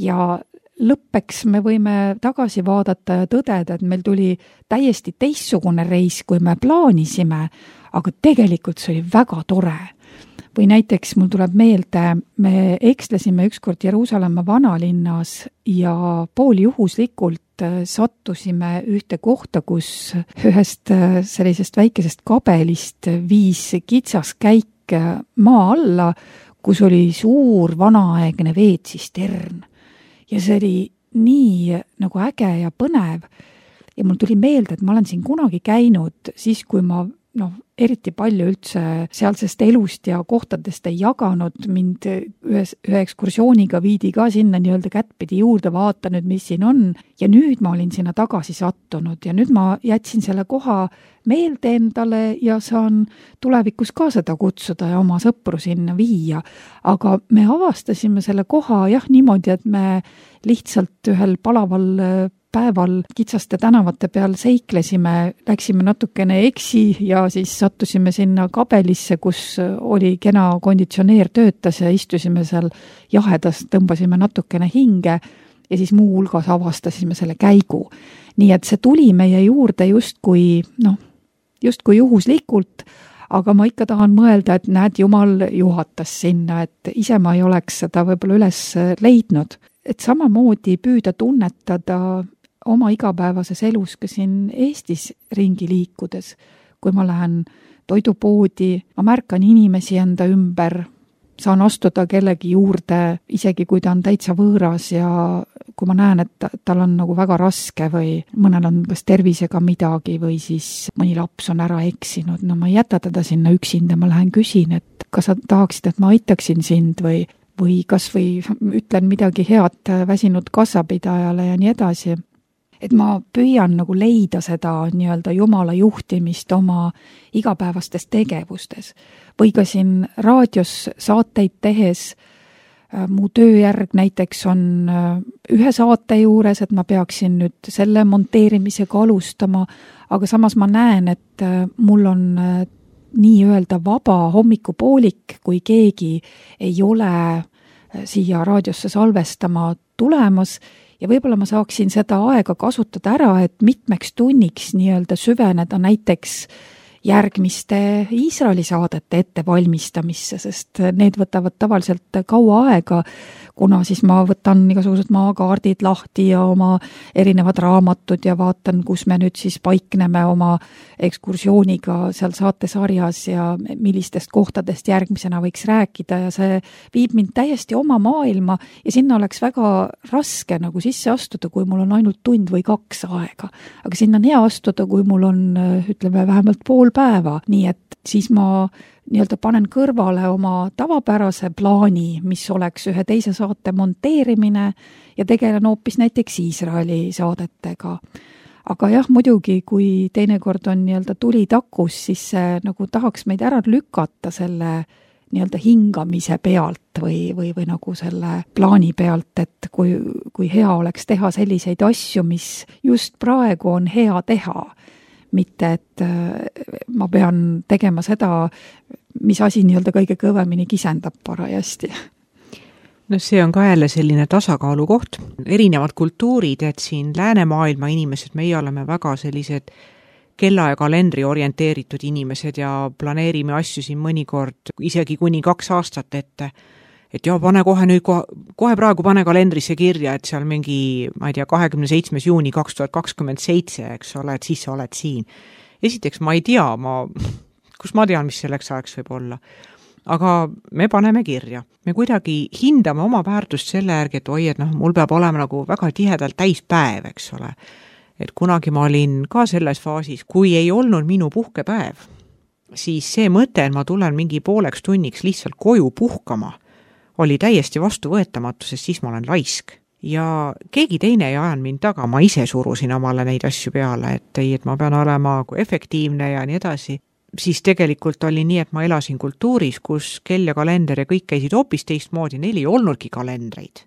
ja lõppeks me võime tagasi vaadata ja tõdeda, et meil tuli täiesti teistsugune reis, kui me plaanisime, aga tegelikult see oli väga tore. Või näiteks mul tuleb meelde, me ekslesime ükskord Jeruusalemma vanalinnas ja pooljuhuslikult sattusime ühte kohta, kus ühest sellisest väikesest kabelist viis kitsas käik maa alla, kus oli suur vanaaegne veetsistern. Ja see oli nii nagu äge ja põnev. Ja mul tuli meelde, et ma olen siin kunagi käinud siis, kui ma noh, eriti palju üldse sealsest elust ja kohtadest ei jaganud. Mind ühes, ühe ekskursiooniga viidi ka sinna nii-öelda kättpidi juurde, vaata nüüd, mis siin on. Ja nüüd ma olin sinna tagasi sattunud ja nüüd ma jätsin selle koha meelde endale ja saan tulevikus ka seda kutsuda ja oma sõpru sinna viia. Aga me avastasime selle koha jah niimoodi, et me lihtsalt ühel palaval päeval kitsaste tänavate peal seiklesime, läksime natukene eksi ja siis sattusime sinna kabelisse, kus oli kena konditsioneer töötas ja istusime seal jahedas, tõmbasime natukene hinge ja siis muu hulgas avastasime selle käigu. Nii et see tuli meie juurde justkui, noh, justkui juhuslikult, aga ma ikka tahan mõelda, et näed, Jumal juhatas sinna, et ise ma ei oleks seda võib-olla üles leidnud. Et samamoodi püüda tunnetada oma igapäevases elus ka siin Eestis ringi liikudes. Kui ma lähen toidupoodi, ma märkan inimesi enda ümber, saan astuda kellegi juurde, isegi kui ta on täitsa võõras ja kui ma näen, et tal on nagu väga raske või mõnel on kas tervisega midagi või siis mõni laps on ära eksinud, no ma ei jäta teda sinna üksinda, ma lähen küsin, et kas sa tahaksid, et ma aitaksin sind või, või kas või ütlen midagi head väsinud kassapidajale ja nii edasi. Et ma püüan nagu leida seda nii-öelda Jumala juhtimist oma igapäevastes tegevustes. Või ka siin raadios saateid tehes, mu tööjärg näiteks on ühe saate juures, et ma peaksin nüüd selle monteerimisega alustama, aga samas ma näen, et mul on nii-öelda vaba hommikupoolik, kui keegi ei ole siia raadiosse salvestama tulemas, ja võib-olla ma saaksin seda aega kasutada ära, et mitmeks tunniks nii-öelda süveneda näiteks järgmiste Iisraeli saadete ettevalmistamisse, sest need võtavad tavaliselt kaua aega, kuna siis ma võtan igasugused maakaardid lahti ja oma erinevad raamatud ja vaatan, kus me nüüd siis paikneme oma ekskursiooniga seal saatesarjas ja millistest kohtadest järgmisena võiks rääkida ja see viib mind täiesti oma maailma ja sinna oleks väga raske nagu sisse astuda, kui mul on ainult tund või kaks aega. Aga sinna on hea astuda, kui mul on, ütleme, vähemalt pool päeva, nii et siis ma nii-öelda panen kõrvale oma tavapärase plaani, mis oleks ühe teise saate monteerimine ja tegelen hoopis näiteks Iisraeli saadetega. Aga jah, muidugi, kui teinekord on nii-öelda tuli takus, siis see nagu tahaks meid ära lükata selle nii-öelda hingamise pealt või, või, või nagu selle plaani pealt, et kui, kui hea oleks teha selliseid asju, mis just praegu on hea teha. Mitte, et ma pean tegema seda, mis asi nii-öelda kõige kõvemini kisendab parajasti. No see on ka jälle selline tasakaalu koht. Erinevad kultuurid, et siin läänemaailma inimesed, meie oleme väga sellised kella ja kalendri orienteeritud inimesed ja planeerime asju siin mõnikord isegi kuni kaks aastat ette. Et joo, pane kohe nüüd, kohe, kohe praegu pane kalendrisse kirja, et seal mingi, ma ei tea, kahekümne seitsmes juuni kaks tuhat kakskümmend seitse, eks ole, et siis sa oled siin. Esiteks ma ei tea, ma, kus ma tean, mis selleks ajaks võib olla. Aga me paneme kirja. Me kuidagi hindame oma väärtust selle järgi, et oi, et noh, mul peab olema nagu väga tihedalt täispäev, eks ole. Et kunagi ma olin ka selles faasis, kui ei olnud minu puhkepäev, siis see mõte, et ma tulen mingi pooleks tunniks lihtsalt koju puhkama, oli täiesti vastuvõetamatu, sest siis ma olen laisk. Ja keegi teine ei ajanud mind taga, ma ise surusin omale neid asju peale, et ei, et ma pean olema efektiivne ja nii edasi. Siis tegelikult oli nii, et ma elasin kultuuris, kus kell ja kalender ja kõik käisid hoopis teistmoodi, neil ei olnudki kalendreid,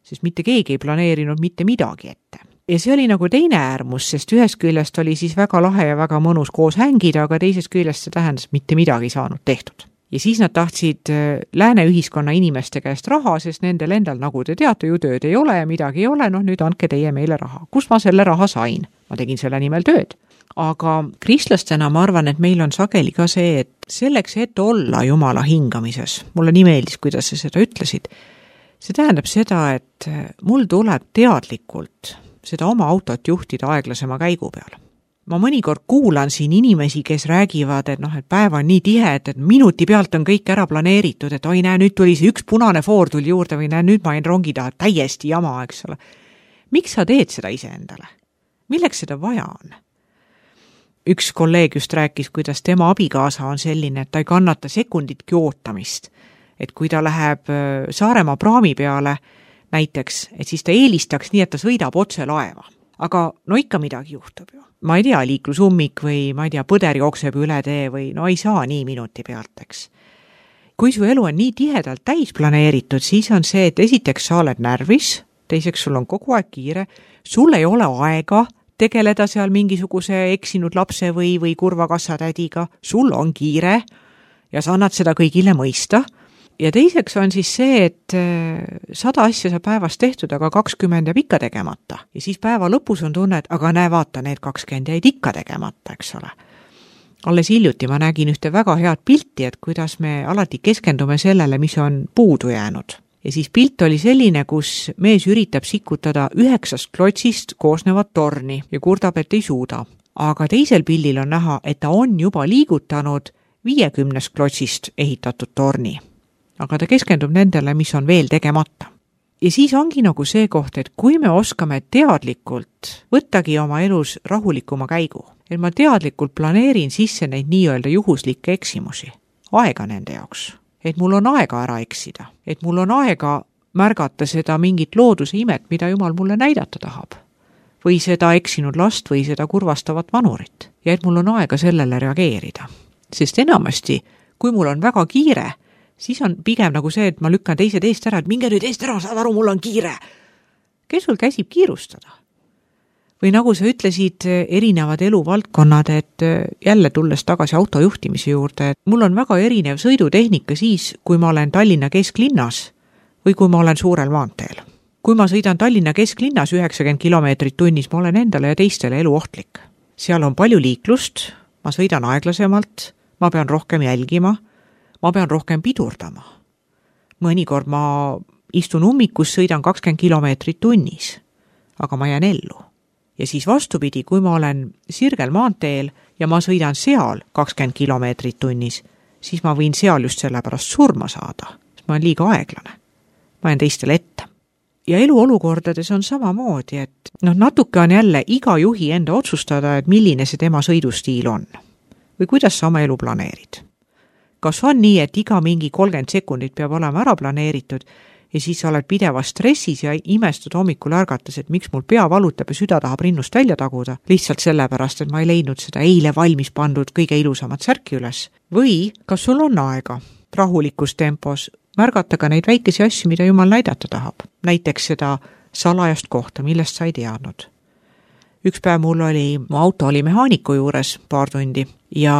sest mitte keegi ei planeerinud mitte midagi ette. Ja see oli nagu teine äärmus, sest ühest küljest oli siis väga lahe ja väga mõnus koos hängida, aga teisest küljest see tähendas mitte midagi saanud tehtud. Ja siis nad tahtsid lääne ühiskonna inimeste käest raha, sest nendel endal, nagu te teate, ju tööd ei ole ja midagi ei ole, noh nüüd andke teie meile raha. Kus ma selle raha sain? Ma tegin selle nimel tööd. Aga kristlastena ma arvan, et meil on sageli ka see, et selleks, et olla Jumala hingamises, mulle nii meeldis, kuidas sa seda ütlesid, see tähendab seda, et mul tuleb teadlikult seda oma autot juhtida aeglasema käigu peale. Ma mõnikord kuulan siin inimesi, kes räägivad, et noh, et päev on nii tihe, et minuti pealt on kõik ära planeeritud, et oi näe, nüüd tuli see üks punane foor tuli juurde või näe, nüüd ma jäin rongi taha, täiesti jama, eks ole. Miks sa teed seda ise endale? Milleks seda vaja on? Üks kolleeg just rääkis, kuidas tema abikaasa on selline, et ta ei kannata sekunditki ootamist. Et kui ta läheb Saaremaa praami peale näiteks, et siis ta eelistaks nii, et ta sõidab otse laeva. Aga no ikka midagi juhtub ju. Ma ei tea, liiklusummik või ma ei tea, põder jookseb üle tee või no ei saa nii minuti pealt, eks. Kui su elu on nii tihedalt täis planeeritud, siis on see, et esiteks sa oled närvis, teiseks sul on kogu aeg kiire, sul ei ole aega tegeleda seal mingisuguse eksinud lapse või, või kurva kassatädiga, sul on kiire ja sa annad seda kõigile mõista. Ja teiseks on siis see, et sada asja sa päevas tehtud, aga kakskümmend jääb ikka tegemata. Ja siis päeva lõpus on tunne, et aga näe, vaata, need kakskümmend jäid ikka tegemata, eks ole. Alles hiljuti ma nägin ühte väga head pilti, et kuidas me alati keskendume sellele, mis on puudu jäänud. Ja siis pilt oli selline, kus mees üritab sikutada üheksast klotsist koosnevat torni ja kurdab, et ei suuda. Aga teisel pildil on näha, et ta on juba liigutanud viiekümnest klotsist ehitatud torni. Aga ta keskendub nendele, mis on veel tegemata. Ja siis ongi nagu see koht, et kui me oskame teadlikult võttagi oma elus rahulikuma käigu, et ma teadlikult planeerin sisse neid nii-öelda juhuslikke eksimusi, aega nende jaoks, et mul on aega ära eksida, et mul on aega märgata seda mingit looduse imet, mida Jumal mulle näidata tahab, või seda eksinud last või seda kurvastavat vanurit, ja et mul on aega sellele reageerida. Sest enamasti, kui mul on väga kiire, siis on pigem nagu see, et ma lükkan teised eest ära, et minge nüüd eest ära, saad aru, mul on kiire. Kes sul käsib kiirustada? Või nagu sa ütlesid, erinevad eluvaldkonnad, et jälle tulles tagasi autojuhtimise juurde, et mul on väga erinev sõidutehnika siis, kui ma olen Tallinna kesklinnas või kui ma olen suurel maanteel. Kui ma sõidan Tallinna kesklinnas üheksakümmend kilomeetrit tunnis, ma olen endale ja teistele eluohtlik. Seal on palju liiklust, ma sõidan aeglasemalt, ma pean rohkem jälgima, ma pean rohkem pidurdama. Mõnikord ma istun ummikus, sõidan kakskümmend kilomeetrit tunnis, aga ma jään ellu. Ja siis vastupidi, kui ma olen sirgel maanteel ja ma sõidan seal kakskümmend kilomeetrit tunnis, siis ma võin seal just sellepärast surma saada, sest ma olen liiga aeglane. Ma jään teistele ette. Ja eluolukordades on samamoodi, et noh, natuke on jälle iga juhi enda otsustada, et milline see tema sõidustiil on. Või kuidas sa oma elu planeerid. Kas on nii, et iga mingi kolmkümmend sekundit peab olema ära planeeritud ja siis sa oled pidevas stressis ja imestud hommikul ärgates, et miks mul pea valutab ja süda tahab rinnust välja taguda, lihtsalt sellepärast, et ma ei leidnud seda eile valmis pandud kõige ilusamat särki üles. Või kas sul on aega rahulikus tempos märgata ka neid väikesi asju, mida Jumal näidata tahab. Näiteks seda salajast kohta, millest sa ei teadnud. Üks päev mul oli, mu auto oli mehaaniku juures paar tundi ja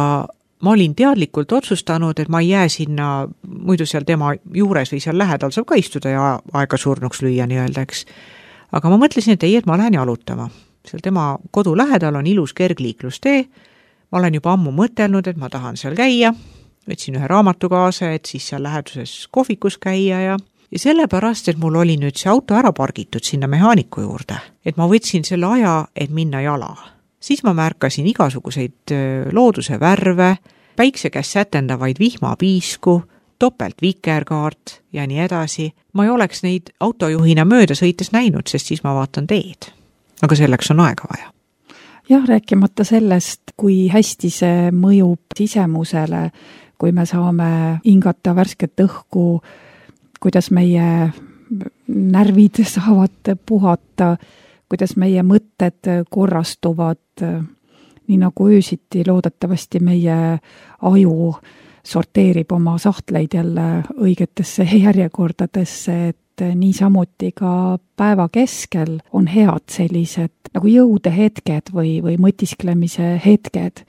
ma olin teadlikult otsustanud, et ma ei jää sinna, muidu seal tema juures või seal lähedal saab ka istuda ja aega surnuks lüüa nii-öelda, eks. Aga ma mõtlesin, et ei, et ma lähen jalutama. Seal tema kodu lähedal on ilus kergliiklustee. Ma olen juba ammu mõtelnud, et ma tahan seal käia. Võtsin ühe raamatu kaasa, et siis seal läheduses kohvikus käia ja Ja sellepärast, et mul oli nüüd see auto ära pargitud sinna mehaaniku juurde, et ma võtsin selle aja, et minna jala. Siis ma märkasin igasuguseid looduse värve, päikse käes sätendavaid vihmapiisku, topelt vikerkaart ja nii edasi. Ma ei oleks neid autojuhina mööda sõites näinud, sest siis ma vaatan teed. Aga selleks on aega vaja. Jah, rääkimata sellest, kui hästi see mõjub sisemusele, kui me saame hingata värsket õhku, kuidas meie närvid saavad puhata, kuidas meie mõtted korrastuvad, nii nagu öösiti loodetavasti meie aju sorteerib oma sahtleid jälle õigetesse järjekordadesse, et niisamuti ka päeva keskel on head sellised nagu jõudehetked või, või mõtisklemise hetked.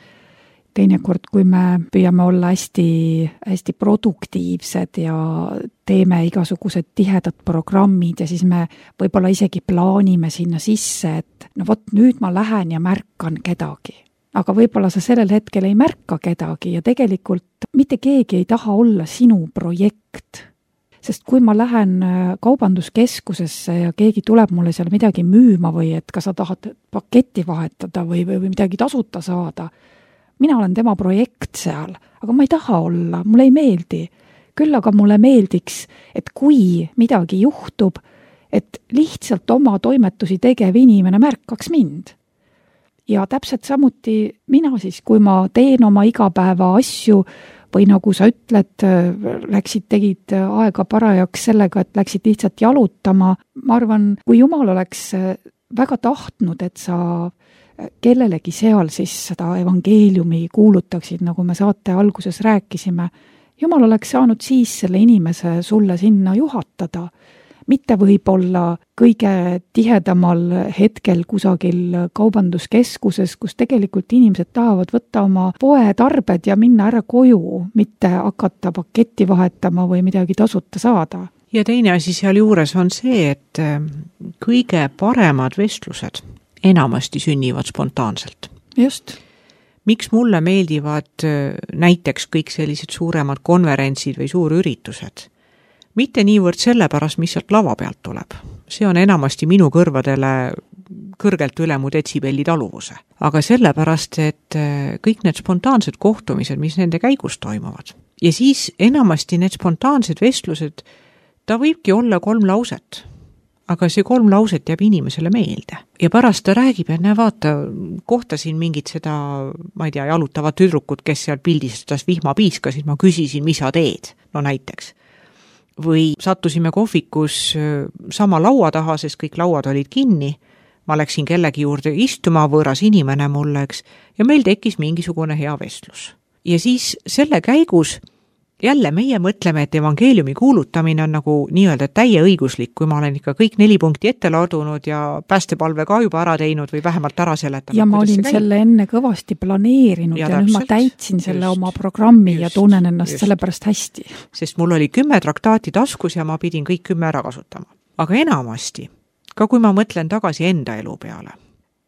Teinekord, kui me püüame olla hästi, hästi produktiivsed ja teeme igasugused tihedad programmid ja siis me võib-olla isegi plaanime sinna sisse, et no vot nüüd ma lähen ja märkan kedagi. Aga võib-olla sa sellel hetkel ei märka kedagi ja tegelikult mitte keegi ei taha olla sinu projekt. Sest kui ma lähen kaubanduskeskusesse ja keegi tuleb mulle seal midagi müüma või et kas sa tahad paketti vahetada või, või, või midagi tasuta saada, mina olen tema projekt seal, aga ma ei taha olla, mulle ei meeldi. Küll aga mulle meeldiks, et kui midagi juhtub, et lihtsalt oma toimetusi tegev inimene märkaks mind. Ja täpselt samuti mina siis, kui ma teen oma igapäeva asju või nagu sa ütled, läksid, tegid aega parajaks sellega, et läksid lihtsalt jalutama. Ma arvan, kui Jumal oleks väga tahtnud, et sa kellelegi seal siis seda evangeeliumi kuulutaksid, nagu me saate alguses rääkisime. Jumal oleks saanud siis selle inimese sulle sinna juhatada, mitte võib-olla kõige tihedamal hetkel kusagil kaubanduskeskuses, kus tegelikult inimesed tahavad võtta oma poetarbed ja minna ära koju, mitte hakata paketti vahetama või midagi tasuta saada. Ja teine asi seal juures on see, et kõige paremad vestlused enamasti sünnivad spontaanselt. Just. Miks mulle meeldivad näiteks kõik sellised suuremad konverentsid või suurüritused? Mitte niivõrd sellepärast, mis sealt lava pealt tuleb. See on enamasti minu kõrvadele kõrgelt üle mu detsibelli taluvuse. Aga sellepärast, et kõik need spontaansed kohtumised, mis nende käigus toimuvad. Ja siis enamasti need spontaansed vestlused, ta võibki olla kolm lauset. Aga see kolm lauset jääb inimesele meelde. Ja pärast ta räägib, et näe vaata, kohtasin mingit seda, ma ei tea, jalutavat tüdrukut, kes seal pildistas vihmapiiska, siis ma küsisin, mis sa teed, no näiteks. Või sattusime kohvikus sama laua taha, sest kõik lauad olid kinni. Ma läksin kellegi juurde istuma, võõras inimene mulle, eks, ja meil tekkis mingisugune hea vestlus. Ja siis selle käigus jälle meie mõtleme, et evangeeliumi kuulutamine on nagu nii-öelda täieõiguslik, kui ma olen ikka kõik neli punkti ette ladunud ja päästepalve ka juba ära teinud või vähemalt ära seletanud. Ja ma olin selle enne kõvasti planeerinud ja, ja nüüd ma täitsin selle just, oma programmi just, ja tunnen ennast just. Sellepärast hästi. Sest mul oli kümme traktaati taskus ja ma pidin kõik kümme ära kasutama. Aga enamasti, ka kui ma mõtlen tagasi enda elu peale,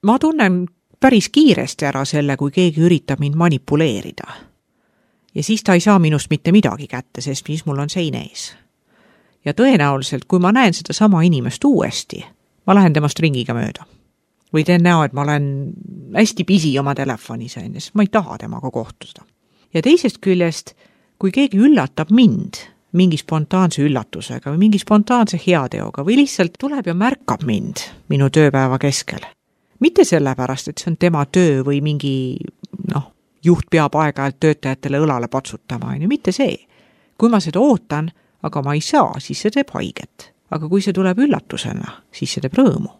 ma tunnen päris kiiresti ära selle, kui keegi üritab mind manipuleerida. Ja siis ta ei saa minust mitte midagi kätte, sest siis mul on sein ees. Ja tõenäoliselt, kui ma näen seda sama inimest uuesti, ma lähen temast ringiga mööda. Või teen näo, et ma olen hästi pisi oma telefonis, sest ma ei taha temaga kohtuda. Ja teisest küljest, kui keegi üllatab mind mingi spontaanse üllatusega või mingi spontaanse heateoga või lihtsalt tuleb ja märkab mind minu tööpäeva keskel. Mitte sellepärast, et see on tema töö või mingi, noh, juht peab aeg-ajalt töötajatele õlale patsutama, ja mitte see. Kui ma seda ootan, aga ma ei saa, siis see teeb haiget. Aga kui see tuleb üllatusena, siis see teeb rõõmu.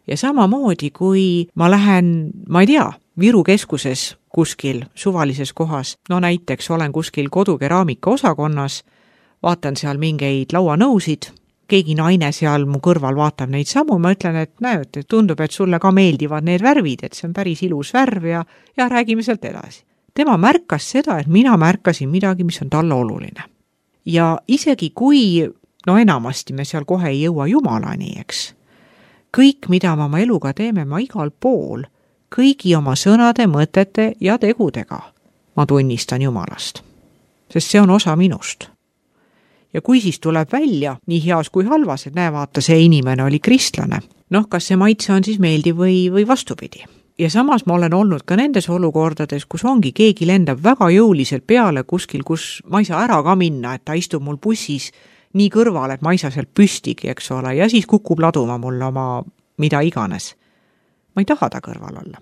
Ja samamoodi, kui ma lähen, ma ei tea, Viru keskuses kuskil suvalises kohas, no näiteks olen kuskil kodukeraamika osakonnas, vaatan seal mingeid lauanõusid, keegi naine seal mu kõrval vaatab neid samu, ma ütlen, et näed, et tundub, et sulle ka meeldivad need värvid, et see on päris ilus värv ja, ja räägime sealt edasi. Tema märkas seda, et mina märkasin midagi, mis on talle oluline. Ja isegi kui, no enamasti me seal kohe ei jõua jumalani, eks, kõik, mida me oma eluga teeme, ma igal pool, kõigi oma sõnade, mõtete ja tegudega ma tunnistan Jumalast, sest see on osa minust. Ja kui siis tuleb välja, nii heas kui halvas, et näe, vaata, see inimene oli kristlane, noh, kas see maitse on siis meeldiv või, või vastupidi. Ja samas ma olen olnud ka nendes olukordades, kus ongi keegi lendab väga jõuliselt peale kuskil, kus ma ei saa ära ka minna, et ta istub mul bussis nii kõrval, et ma ei saa sealt püstigi, eks ole, ja siis kukub laduma mulle oma mida iganes. Ma ei taha ta kõrval olla.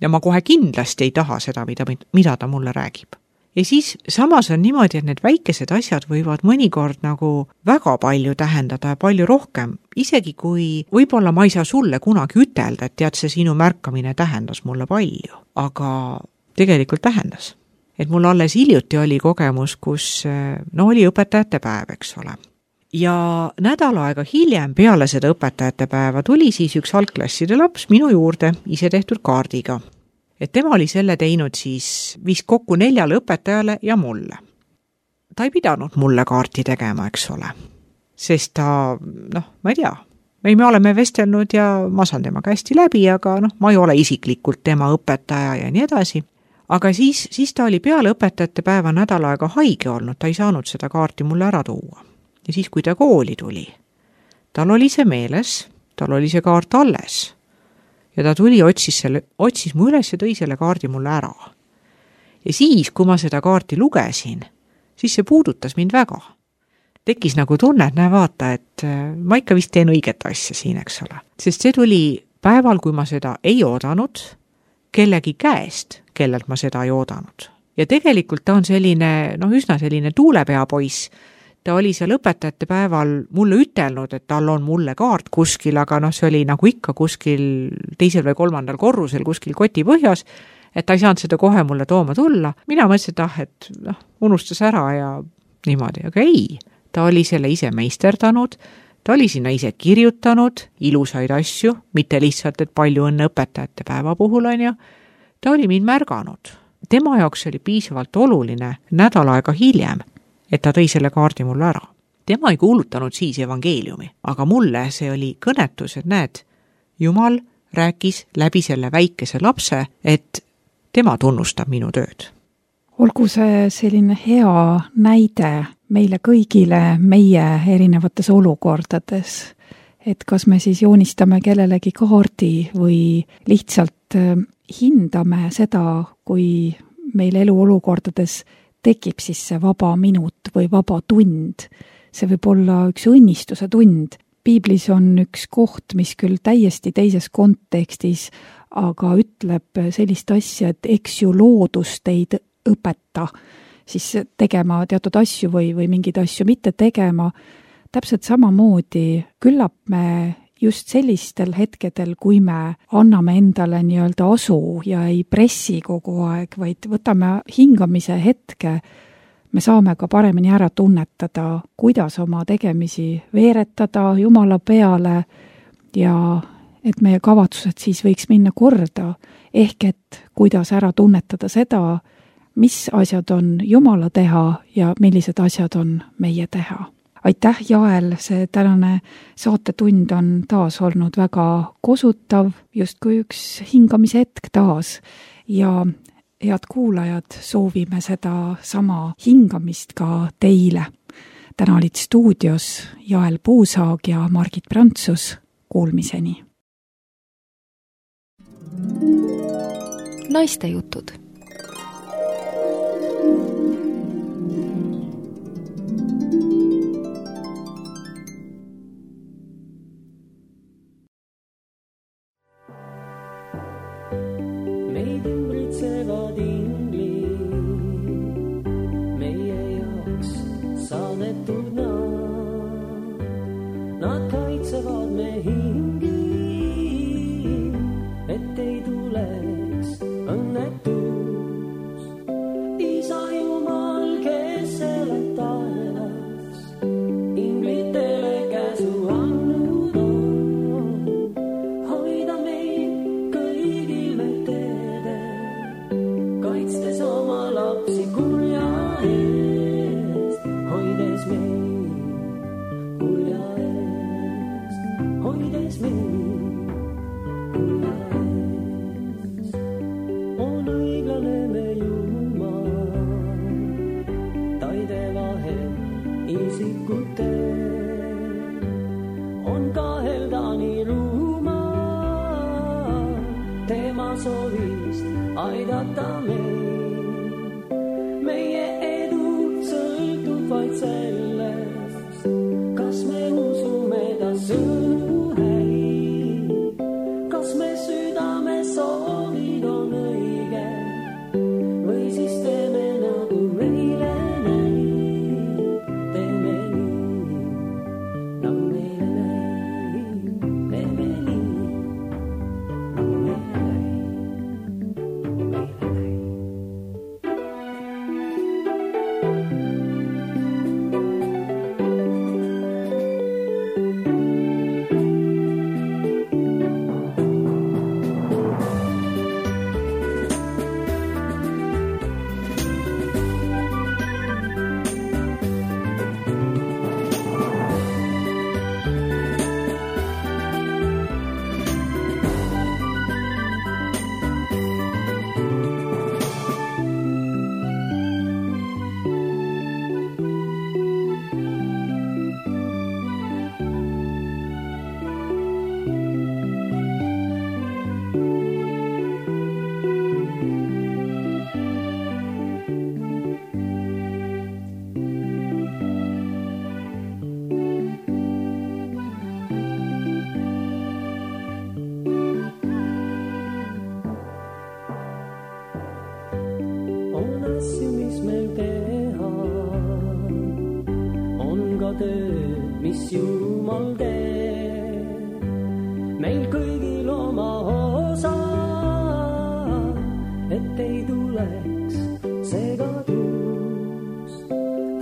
Ja ma kohe kindlasti ei taha seda, mida, mida ta mulle räägib. Ja siis samas on niimoodi, et need väikesed asjad võivad mõnikord nagu väga palju tähendada ja palju rohkem, isegi kui võib-olla ma ei saa sulle kunagi ütelda, et tead, see sinu märkamine tähendas mulle palju, aga tegelikult tähendas. Et mul alles hiljuti oli kogemus, kus no oli õpetajate päev, eks ole. Ja nädal aega hiljem peale seda õpetajate päeva tuli siis üks algklasside laps minu juurde ise tehtud kaardiga. Et tema oli selle teinud siis vist kokku neljale õpetajale ja mulle. Ta ei pidanud mulle kaarti tegema, eks ole. Sest ta, noh, ma ei tea, me oleme vestelnud ja ma saan temaga hästi läbi, aga noh, ma ei ole isiklikult tema õpetaja ja nii edasi. Aga siis, siis ta oli peale õpetajate päeva nädal aega haige olnud, ta ei saanud seda kaarti mulle ära tuua. Ja siis, kui ta kooli tuli, tal oli see meeles, tal oli see kaart alles. Ja ta tuli, otsis, selle, otsis mu üles ja tõi selle kaardi mulle ära. Ja siis, kui ma seda kaarti lugesin, siis see puudutas mind väga. Tekkis nagu tunne, et näe vaata, et ma ikka vist teen õiget asja siin, eks ole. Sest see tuli päeval, kui ma seda ei oodanud, kellegi käest, kellelt ma seda ei oodanud. Ja tegelikult ta on selline, noh, üsna selline tuulepea poiss. Ta oli seal õpetajate päeval mulle ütelnud, et tal on mulle kaart kuskil, aga noh, see oli nagu ikka kuskil teisel või kolmandal korrusel kuskil koti põhjas, et ta ei saanud seda kohe mulle tooma tulla. Mina mõtlesin, et ah, et noh, unustas ära ja niimoodi, aga ei. Ta oli selle ise meisterdanud, ta oli sinna ise kirjutanud ilusaid asju, mitte lihtsalt, et palju õnne õpetajate päeva puhul on ju. Ta oli mind märganud. Tema jaoks oli piisavalt oluline nädal aega hiljem, et ta tõi selle kaardi mulle ära. Tema ei kuulutanud siis evangeeliumi, aga mulle see oli kõnetus, et näed, Jumal rääkis läbi selle väikese lapse, et tema tunnustab minu tööd. Olgu see selline hea näide meile kõigile meie erinevates olukordades, et kas me siis joonistame kellelegi kaardi või lihtsalt hindame seda, kui meil eluolukordades tekib siis see vaba minut või vaba tund. See võib olla üks õnnistuse tund. Piiblis on üks koht, mis küll täiesti teises kontekstis, aga ütleb sellist asja, et eks ju loodus teid õpeta siis tegema teatud asju või, või mingeid asju mitte tegema. Täpselt samamoodi küllap me just sellistel hetkedel, kui me anname endale nii-öelda asu ja ei pressi kogu aeg, vaid võtame hingamise hetke, me saame ka paremini ära tunnetada, kuidas oma tegemisi veeretada Jumala peale ja et meie kavatsused siis võiks minna korda, ehk et kuidas ära tunnetada seda, mis asjad on Jumala teha ja millised asjad on meie teha. aitäh, Jael, see tänane saatetund on taas olnud väga kosutav, justkui üks hingamise hetk taas ja head kuulajad, soovime seda sama hingamist ka teile. Täna olid stuudios Jael Puusaag ja Margit Prantsus. Kuulmiseni. Naistejutud. Meid ümbritsevad inglid, meie jaoks saadetud nad, nad kaitsevad me hingi, et ei tuleks õnnetus. Isa Jumal, kes elab taevas, inglitele käsu andnud on, hoida meid kõigil me teedel, kaitstes oma lapsi kurja eest, hoides meid kurja eest, hoides meid kurja eest. On õiglane me Jumal, taide vahel isikute, on kahelda nii rumal, tema soovist aidata meid. Meie edu sõltub vaid sellest, kas me usume ta sõnu häid, kas me südame soovid on õige, või siis teeme nagu meile näib, teeme nii, nagu meile näib, teeme nii, nagu meile näib, meile näib. On asju, mis meil teha, on ka töö, mis Jumal teeb. Meil kõigil oma osa, et ei tuleks segadust.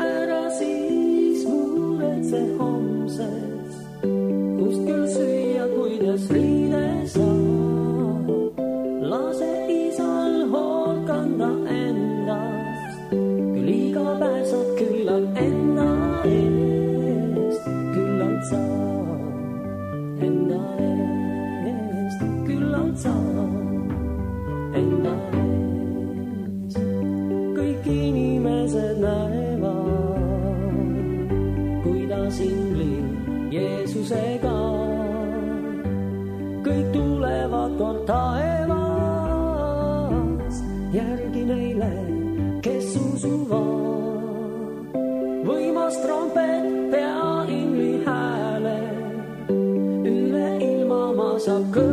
Ära siis muretse homsest, kust küll süüa, kuidas riide saab. Lase isal hoolt kanda endast, küll iga päev saad küllalt enda eest, küllalt saad enda eest, küllalt saad enda eest. Kõik inimesed näevad, kuidas inglid Jeesusega, kõik tulevad kord taevas, järgi neile, kes usuvad. Võimas trompet pea ingli hääle, üle ilma ma saab kõrge.